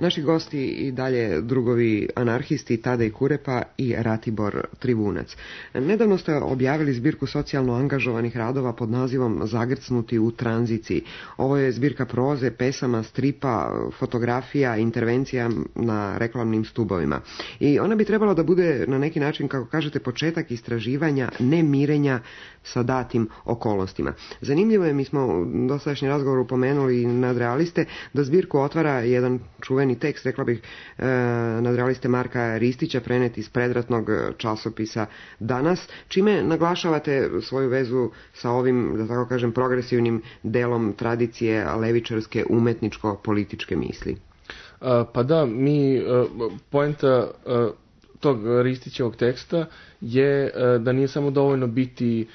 Naši gosti i dalje drugovi anarhisti Tadej Kurepa i Ratibor Trivunac. Nedavno ste objavili zbirku socijalno angažovanih radova pod nazivom Zagrcnuti u tranziciji. Ovo je zbirka proze, pesama, stripa, fotografija, intervencija na reklamnim stubovima. I ona bi trebala da bude na neki način, kako kažete, početak istraživanja nemirenja sa datim okolnostima. Zanimljivo je, mi smo u dosadašnji razgovor upomenuli nadrealiste, da zbirku otvara jedan čuveni tekst, rekla bih, e, nadrealiste Marka Ristića, prenet iz predratnog časopisa Danas, čime naglašavate svoju vezu sa ovim, da tako kažem, progresivnim delom tradicije levičarske umetničko-političke misli. A, pa da, mi, poenta tog Ristićevog teksta je da nije samo dovoljno biti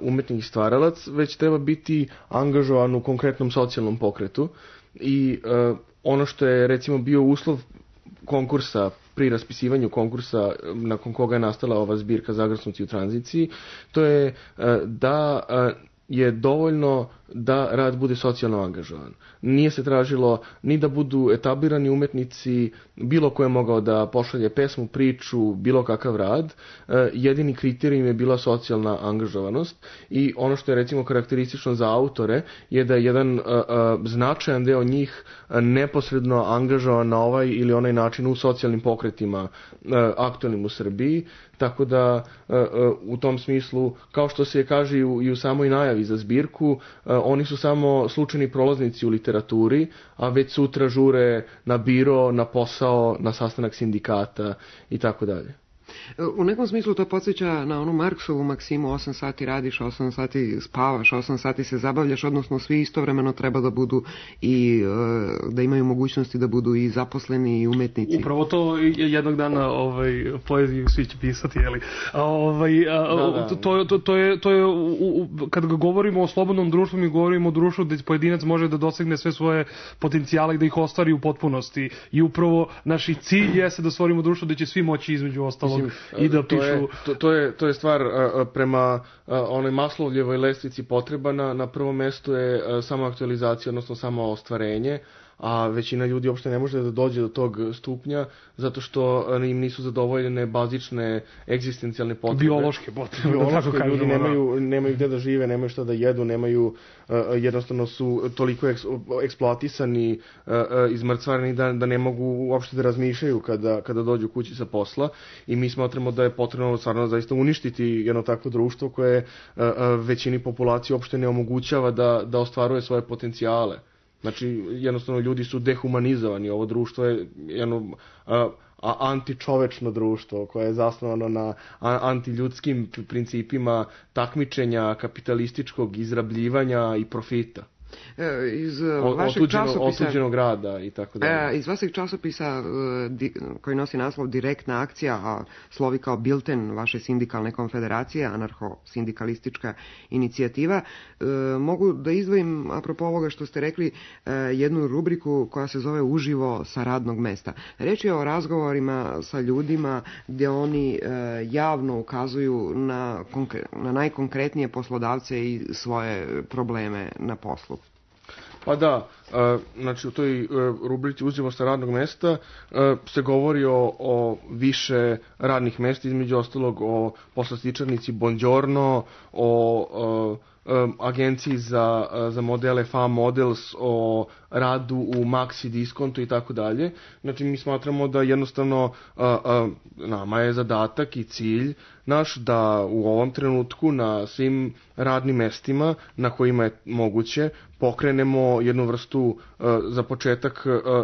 umetnik i stvaralac, već treba biti angažovan u konkretnom socijalnom pokretu. I ono što je recimo bio uslov konkursa, pri raspisivanju konkursa nakon koga je nastala ova zbirka Zagrcnuti u tranziciji, to je da je dovoljno da rad bude socijalno angažovan. Nije se tražilo ni da budu etablirani umetnici, bilo ko je mogao da pošalje pesmu, priču, bilo kakav rad. Jedini kriterijum je bila socijalna angažovanost i ono što je recimo karakteristično za autore je da je jedan značajan deo njih neposredno angažovan na ovaj ili onaj način u socijalnim pokretima aktualnim u Srbiji, tako da u tom smislu, kao što se kaže i u, i u samoj najavi za zbirku, oni su samo slučajni prolaznici u literaturi, a već sutra žure na biro, na posao, na sastanak sindikata i tako dalje. U nekom smislu to podsjeća na onu Marksovu maksimu osam sati radiš, osam sati spavaš, osam sati se zabavljaš, odnosno svi istovremeno treba da budu i da imaju mogućnosti da budu i zaposleni i umetnici. Upravo to jednog dana ovaj, poeziju svi će pisati, jeli? A, ovaj, a, da, da. To, to, to je, to je u, u, kad govorimo o slobodnom društvu, mi govorimo o društvu gde pojedinac može da dosegne sve svoje potencijale i da ih ostvari u potpunosti. I upravo naš cilj jeste da stvorimo društvo gde će svi moći između ostalog i da pišu. To je, to, to je, to je stvar a, prema a, onoj Maslovljevoj lestvici potreba. Na, na prvom mestu je a, samo aktualizacija, odnosno samo ostvarenje, a većina ljudi uopšte ne može da dođe do tog stupnja zato što im nisu zadovoljene bazične egzistencijalne potrebe. Biološke potrebe. Biološke, da ljudi nemaju, nemaju gde da žive, nemaju šta da jedu, nemaju, uh, jednostavno su toliko eks, eksploatisani, uh, izmrcvareni da, da ne mogu uopšte da razmišljaju kada, kada dođu kući sa posla i mi smatramo da je potrebno stvarno zaista uništiti jedno takvo društvo koje uh, većini populacije uopšte ne omogućava da, da ostvaruje svoje potencijale. Znači, jednostavno, ljudi su dehumanizovani. Ovo društvo je jedno a, a, antičovečno društvo koje je zasnovano na a, antiljudskim principima takmičenja, kapitalističkog izrabljivanja i profita. Iz vašeg časopisa otuđenog rada i tako dalje. Iz vašeg časopisa koji nosi naslov Direktna akcija, a slovi kao bilten vaše sindikalne konfederacije, anarcho-sindikalistička inicijativa, mogu da izdvojim, apropo ovoga što ste rekli, jednu rubriku koja se zove Uživo sa radnog mesta. Reč je o razgovorima sa ljudima gdje oni javno ukazuju na, na najkonkretnije poslodavce i svoje probleme na poslu. Pa da, znači u toj rubrici Uživo sa radnog mesta se govori o, o više radnih mesta, između ostalog o poslastičarnici Bongiorno, o, o agenciji za, za modele F A Models, o radu u Maxi Diskontu i tako dalje. Znači mi smatramo da jednostavno a, a, nama je zadatak i cilj naš da u ovom trenutku na svim radnim mestima na kojima je moguće pokrenemo jednu vrstu a, za početak a,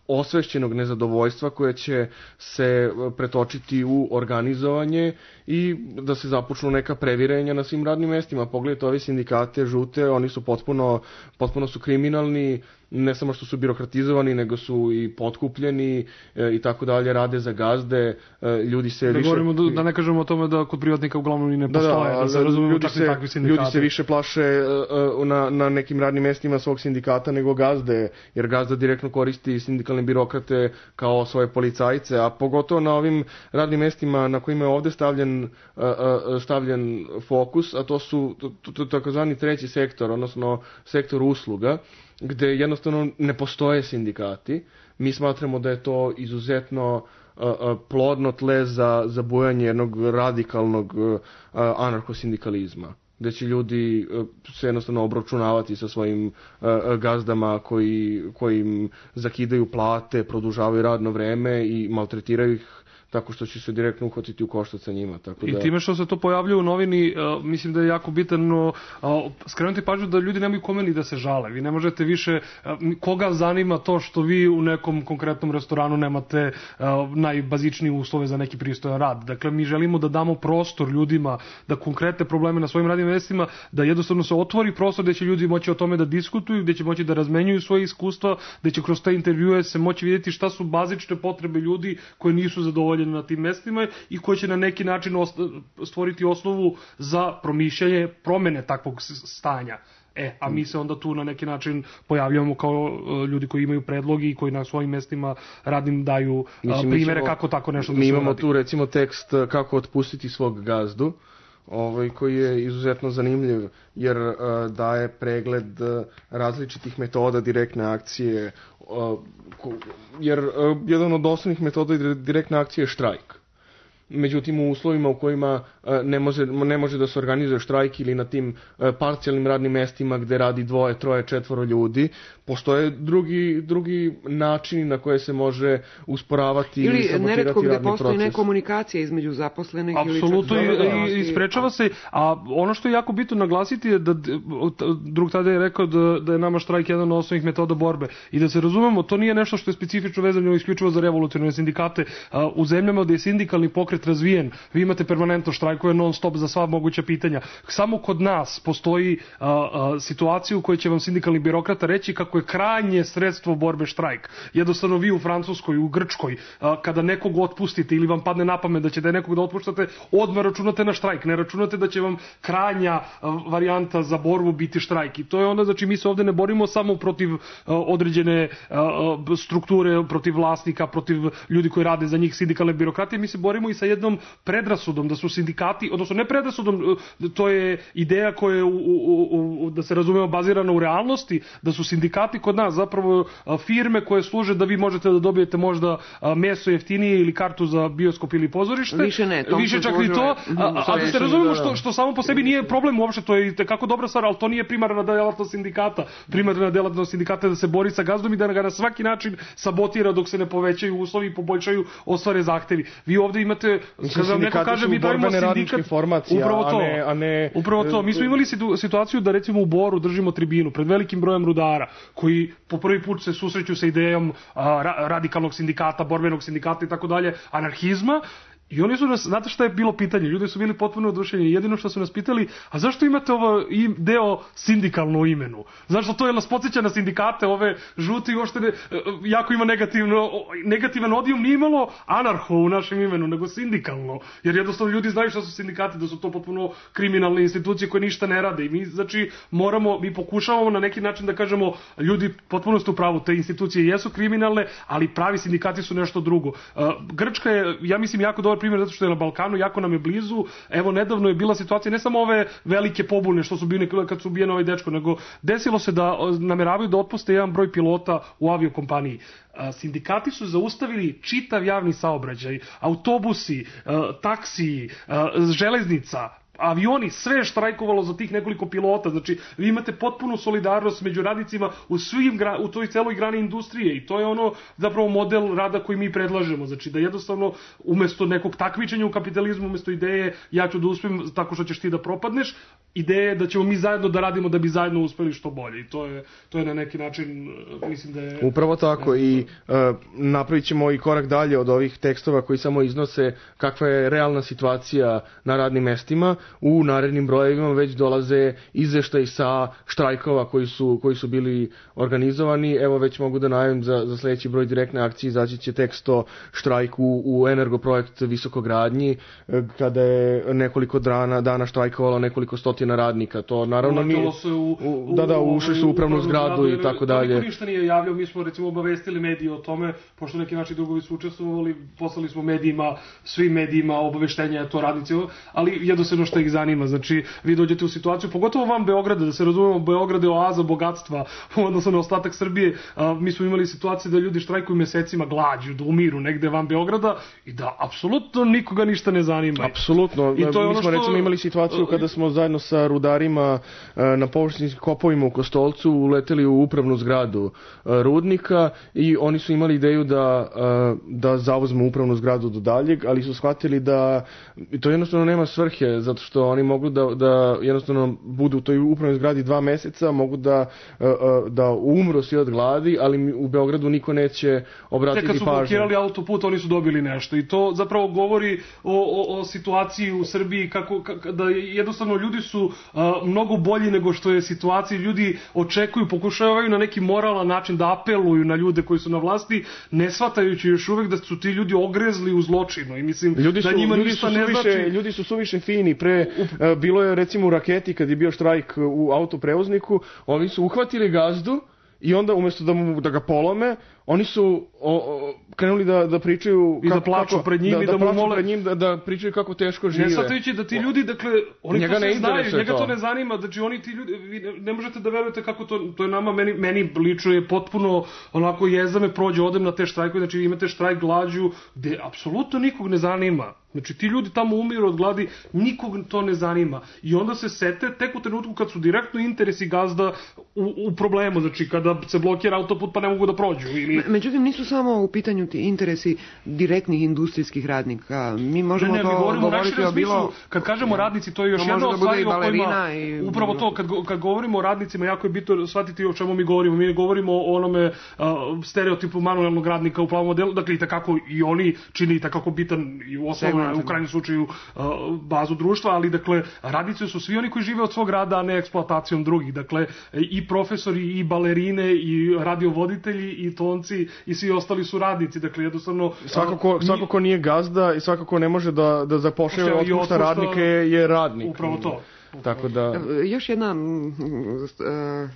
osvešćenog nezadovoljstva koje će se pretočiti u organizovanje i da se započnu neka previrenja na svim radnim mestima. Pogledajte ove sindikate žute, oni su potpuno, potpuno su kriminalni, ne samo što su birokratizovani, nego su i potkupljeni e, i tako dalje, rade za gazde, e, ljudi se da više... Govorimo, da, da ne kažemo o tome da kod privatnika uglavnom i ne postoje, da, da, da se razumemo ljudi se, takvi sindikati. Ljudi se više plaše e, na, na nekim radnim mestima svog sindikata nego gazde, jer gazda direktno koristi sindikalne birokrate kao svoje policajce, a pogotovo na ovim radnim mestima na kojima je ovde stavljen, stavljen fokus, a to su takozvani treći sektor, odnosno sektor usluga, gde jednostavno ne postoje sindikati. Mi smatramo da je to izuzetno plodno tle za, za bujanje jednog radikalnog anarhosindikalizma, gde će ljudi se jednostavno obračunavati sa svojim gazdama koji, koji im zakidaju plate, produžavaju radno vreme i maltretiraju ih tako što će se direktno uhvatiti u koštac sa njima. Tako da... I time što se to pojavljuje u novini, uh, mislim da je jako bitno uh, skrenuti pažnju da ljudi nemaju kome ni da se žale. Vi ne možete više, uh, koga zanima to što vi u nekom konkretnom restoranu nemate uh, najbazičnije uslove za neki pristojan rad. Dakle, mi želimo da damo prostor ljudima da konkretne probleme na svojim radnim mestima, da jednostavno se otvori prostor gde će ljudi moći o tome da diskutuju, gde će moći da razmenjuju svoje iskustva, gde će kroz te intervjue se moći vidjeti šta su bazične potrebe ljudi koji nisu zadovoljeni na tim mestima i koji će na neki način stvoriti osnovu za promišljanje promene takvog stanja. E, a mi se onda tu na neki način pojavljamo kao ljudi koji imaju predlogi i koji na svojim mestima radnim daju Mislim, primere ćemo, kako tako nešto da se Mi imamo radi. Tu recimo tekst kako otpustiti svog gazdu, ovaj, koji je izuzetno zanimljiv jer uh, daje pregled uh, različitih metoda direktne akcije, uh, ko, jer uh, jedan od osnovnih metoda direktne akcije je štrajk. Međutim, u uslovima u kojima ne može, ne može da se organizuje štrajk ili na tim parcijalnim radnim mestima gde radi dvoje, troje, četvoro ljudi, postoje drugi, drugi načini na koje se može usporavati ili sabotirati radni proces. Ili neretko gde postoji nekomunikacija između zaposlenih. Apsolutno i, i sprečava se. A ono što je jako bitno naglasiti je da drug tada je rekao da, da je nama štrajk jedan od osnovnih metoda borbe. I da se razumemo, to nije nešto što je specifično vezano isključivo za revolucionarne sindikate. U zemljama gde je sindikalni pokret razvijen, vi imate permanentno štrajkuje non stop za sva moguća pitanja. Samo kod nas postoji a, a, situacija u kojoj će vam sindikalni birokrata reći kako je krajnje sredstvo borbe štrajk. Jednostavno vi u Francuskoj, u Grčkoj, a, kada nekog otpustite ili vam padne na pamet da ćete nekog da otpuštate, odmah računate na štrajk. Ne računate da će vam krajnja a, varijanta za borbu biti štrajk. I to je onda, znači mi se ovde ne borimo samo protiv a, određene a, strukture, protiv vlasnika, protiv ljudi koji rade za njih sindikalne birokratije, mi se borimo i sa jednom predrasudom da su sindikati, odnosno ne predrasudom, to je ideja koja je, u, u, u, da se razumemo, bazirana u realnosti, da su sindikati kod nas zapravo firme koje služe da vi možete da dobijete možda meso jeftinije ili kartu za bioskop ili pozorište. Više ne, to više čak i to, a, a da se razumemo što, što samo po sebi nije problem uopšte, to je kako dobra stvar, ali to nije primarna delatnost sindikata. Primarna delatnost sindikata je da se bori sa gazdom i da ga na svaki način sabotira dok se ne povećaju uslovi i poboljšaju ostvare zahtevi. Vi ovde imate, kada vam neko kaže mi dajemo sindikat, upravo to, a ne, a ne, upravo to. Mi smo imali situaciju da recimo u Boru držimo tribinu pred velikim brojem rudara koji po prvi put se susreću sa idejom a, radikalnog sindikata, borbenog sindikata i tako dalje, anarhizma. I oni su nas, znate šta je bilo pitanje? Ljudi su bili potpuno oduševljeni. Jedino što su nas pitali, a zašto imate ovo deo sindikalno u imenu? Zašto to je nas podsjeća na sindikate, ove žute i uopšte ne, jako ima negativno, negativan odijum, nije imalo anarho u našem imenu, nego sindikalno. Jer jednostavno ljudi znaju šta su sindikati, da su to potpuno kriminalne institucije koje ništa ne rade. I mi, znači, moramo, mi pokušavamo na neki način da kažemo, ljudi, potpuno ste u pravu, te institucije jesu kriminalne, ali pravi sindikati su nešto drugo. Grčka je, ja mislim, jako dobar primjer zato što je na Balkanu, jako nam je blizu. Evo, nedavno je bila situacija, ne samo ove velike pobune što su bili kad su ubijeni ovaj dečko, nego desilo se da nameravaju da otpuste jedan broj pilota u aviokompaniji. Sindikati su zaustavili čitav javni saobraćaj, autobusi, taksiji, železnica, avioni, sve je štrajkovalo za tih nekoliko pilota. Znači, vi imate potpunu solidarnost među radnicima u svim, u toj celoj grani industrije i to je ono zapravo model rada koji mi predlažemo. Znači, da jednostavno umesto nekog takmičenja u kapitalizmu, umesto ideje ja ću da uspijem tako što ćeš ti da propadneš, ideje da ćemo mi zajedno da radimo da bi zajedno uspeli što bolje. I to je, to je na neki način, mislim da je... Upravo tako i uh, napravit ćemo i korak dalje od ovih tekstova koji samo iznose kakva je realna situacija na radnim mestima. U narednim brojevima već dolaze izveštaji sa štrajkova koji su, koji su bili organizovani. Evo već mogu da najavim za, za sledeći broj direktne akcije izaći će tekst o štrajku u Energoprojekt Visokogradnji, kada je nekoliko dana, dana štrajkovalo nekoliko stotina radnika. To naravno nije... U, u, da, da, ušli su u upravnu zgradu, zgradu i tako dalje. Niko ništa nije javljao, mi smo recimo obavestili medije o tome, pošto neki naši drugovi su učestvovali, poslali smo medijima, svim medijima obaveštenja to radnici, ali jednostavno što ih zanima. Znači, vi dođete u situaciju, pogotovo van Beograda, da se razumemo, Beograd je oaza bogatstva, odnosno na ostatak Srbije. A, mi smo imali situacije da ljudi štrajkuju mesecima glađu, da umiru negde van Beograda i da apsolutno nikoga ništa ne zanima. Apsolutno. Mi smo što... recimo imali situaciju kada smo zajedno sa rudarima na površinskim kopovima u Kostolcu uleteli u upravnu zgradu rudnika i oni su imali ideju da, da zauzmu upravnu zgradu do daljeg, ali su shvatili da to jednostavno nema svrhe, zato što oni mogu da, da jednostavno budu u toj upravnoj zgradi dva meseca, mogu da, da umru svi od gladi, ali u Beogradu niko neće obratiti pažnju. Te kad su blokirali autoput, oni su dobili nešto i to zapravo govori o, o, o situaciji u Srbiji, kako, kako, da jednostavno ljudi su a, mnogo bolji nego što je situacija. Ljudi očekuju, pokušavaju na neki moralan način da apeluju na ljude koji su na vlasti, ne shvatajući još uvek da su ti ljudi ogrezli u zločinu i mislim ljudi su, da njima ljudi ništa su ne suviše, znači. Ljudi su suviše fini. Pre, uh, bilo je recimo u Raketi kad je bio štrajk u autoprevozniku, oni su uhvatili gazdu i onda umjesto da, mu, da ga polome, oni su o, o, krenuli da, da pričaju i kako, da plaču pred njim da, i da, da mu mole pred njim, da, da pričaju kako teško žive. Ne shvatajući da ti ljudi, dakle, oni njega to sve ne znaju, njega to. to ne zanima, znači oni ti ljudi, vi ne, ne možete da verujete kako to, to je nama, meni, meni lično je potpuno onako jeza me prođe, odem na te štrajkove, znači vi imate štrajk glađu gde apsolutno nikog ne zanima. Znači ti ljudi tamo umiru od gladi, nikog to ne zanima. I onda se sete tek u trenutku kad su direktno interesi gazda u, u problemu, znači kada se blokira autoput pa ne mogu da prođu. Ili... Međutim, nisu samo u pitanju ti interesi direktnih industrijskih radnika. Mi možemo ne, ne, to mi govoriti o bilo... Kad kažemo radnici, to je još to jedna od stvari o kojima... I... Upravo to, kad, kad govorimo o radnicima, jako je bitno shvatiti o čemu mi govorimo. Mi ne govorimo o onome uh, stereotipu manuelnog radnika u plavom modelu, dakle i takako i oni čini i takako bitan i u osnovu u krajnjem slučaju uh, bazu društva, ali dakle radnici su svi oni koji žive od svog rada, a ne eksploatacijom drugih. Dakle i profesori, i balerine, i radiovoditelji, i tonci, i svi ostali su radnici. Dakle jednostavno svakako, uh, svakako nije gazda i svakako ne može da, da zapošljava i otpušta radnike je radnik. Upravo to. Tako da... Još jedna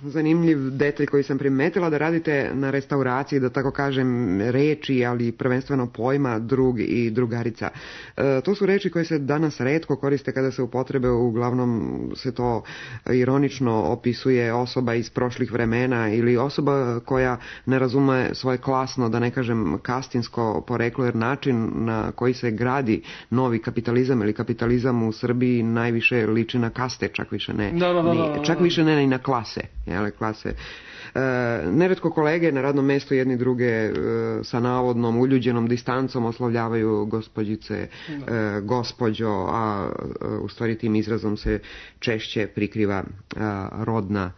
zanimljiv detalj koji sam primetila, da radite na restauraciji, da tako kažem, reči, ali prvenstveno pojma drug i drugarica. To su reči koje se danas retko koriste kada se upotrebe, uglavnom se to ironično opisuje osoba iz prošlih vremena ili osoba koja ne razume svoje klasno, da ne kažem kastinsko poreklo, jer način na koji se gradi novi kapitalizam ili kapitalizam u Srbiji najviše liči na kastin. Čak više ne, da, da, da, da, da. čak više ne i na klase, jele, klase. E, neretko kolege na radnom mjestu jedni druge e, sa navodnom uljuđenom distancom oslovljavaju gospođice, e, gospođo, a e, u stvari tim izrazom se češće prikriva e, rodna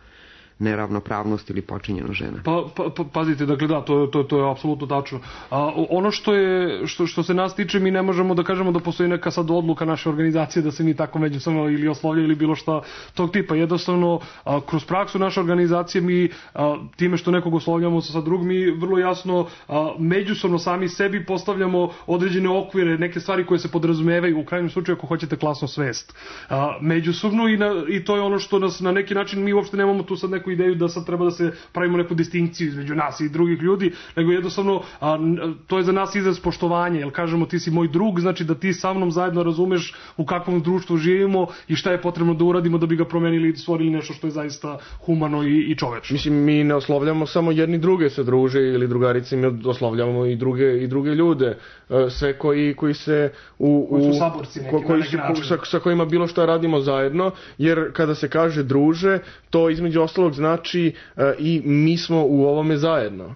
neravnopravnost ili počinjena žena. Pa, pa, pa pazite, dakle da, to, to, to je apsolutno tačno. A, ono što je, što, što se nas tiče, mi ne možemo da kažemo da postoji neka sad odluka naše organizacije da se mi tako međusobno ili oslovljaju ili bilo šta tog tipa. Jednostavno, a, kroz praksu naše organizacije mi a, time što nekog oslovljamo sa drugim, mi vrlo jasno a, međusobno sami sebi postavljamo određene okvire, neke stvari koje se podrazumevaju, u krajnjem slučaju ako hoćete klasnu svest. A, međusobno i, na, i to je ono što nas na neki način, mi uopšte nemamo tu sad neku ideju da sad treba da se pravimo neku distinkciju između nas i drugih ljudi, nego jednostavno a, to je za nas izraz poštovanja, jer kažemo ti si moj drug, znači da ti sa mnom zajedno razumeš u kakvom društvu živimo i šta je potrebno da uradimo da bi ga promenili i stvorili nešto što je zaista humano i, i čovečno. Mislim, mi ne oslovljamo samo jedni druge se druže ili drugarice, mi oslovljamo i druge, i druge ljude, sve koji, koji se u, koji su saborci neki, ko, koji su, ko, sa, sa kojima bilo šta radimo zajedno, jer kada se kaže druže, to između ostalog znači uh, i mi smo u ovome zajedno.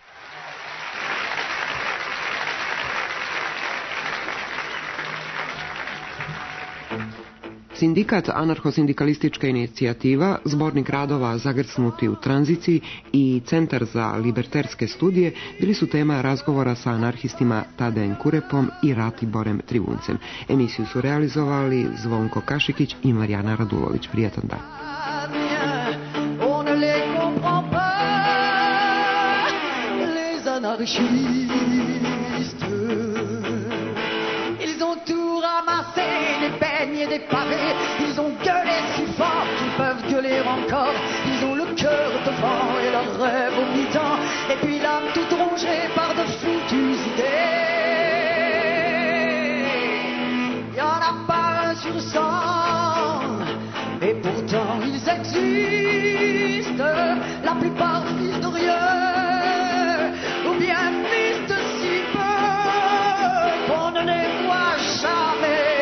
Sindikat Anarcho-sindikalistička inicijativa, zbornik radova Zagrcnuti u tranziciji i Centar za liberterske studije bili su tema razgovora sa anarhistima Tadejem Kurepom i Ratiborem Trivuncem. Emisiju su realizovali Zvonko Kašikić i Marijana Radulović. Prijatan dan. Des pavés, ils ont gueulé si fort qu'ils peuvent gueuler encore. Ils ont le cœur devant et leur rêve au mi-temps, et puis l'âme toute rongée par de foutues idées. Y en a pas un sur cent ils existent, la plupart fils de rien, ou bien fils de si peu qu'on ne les voit jamais,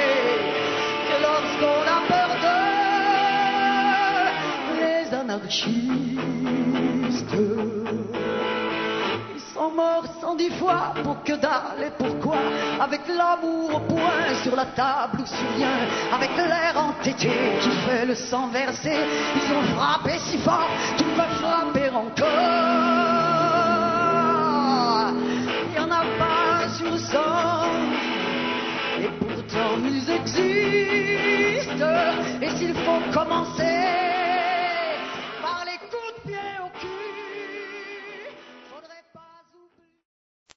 que lorsqu'on a peur d'eux, les anarchistes. Ils sont morts cent dix fois pour que dalle et pourquoi, avec l'amour au poing sur la table ou sur rien, avec l'air entêté qui fait le sang verser, ils ont frappé si fort qu'ils peuvent frapper encore. Il n'y en a pas sur cent, et pourtant ils existent, et s'il faut commencer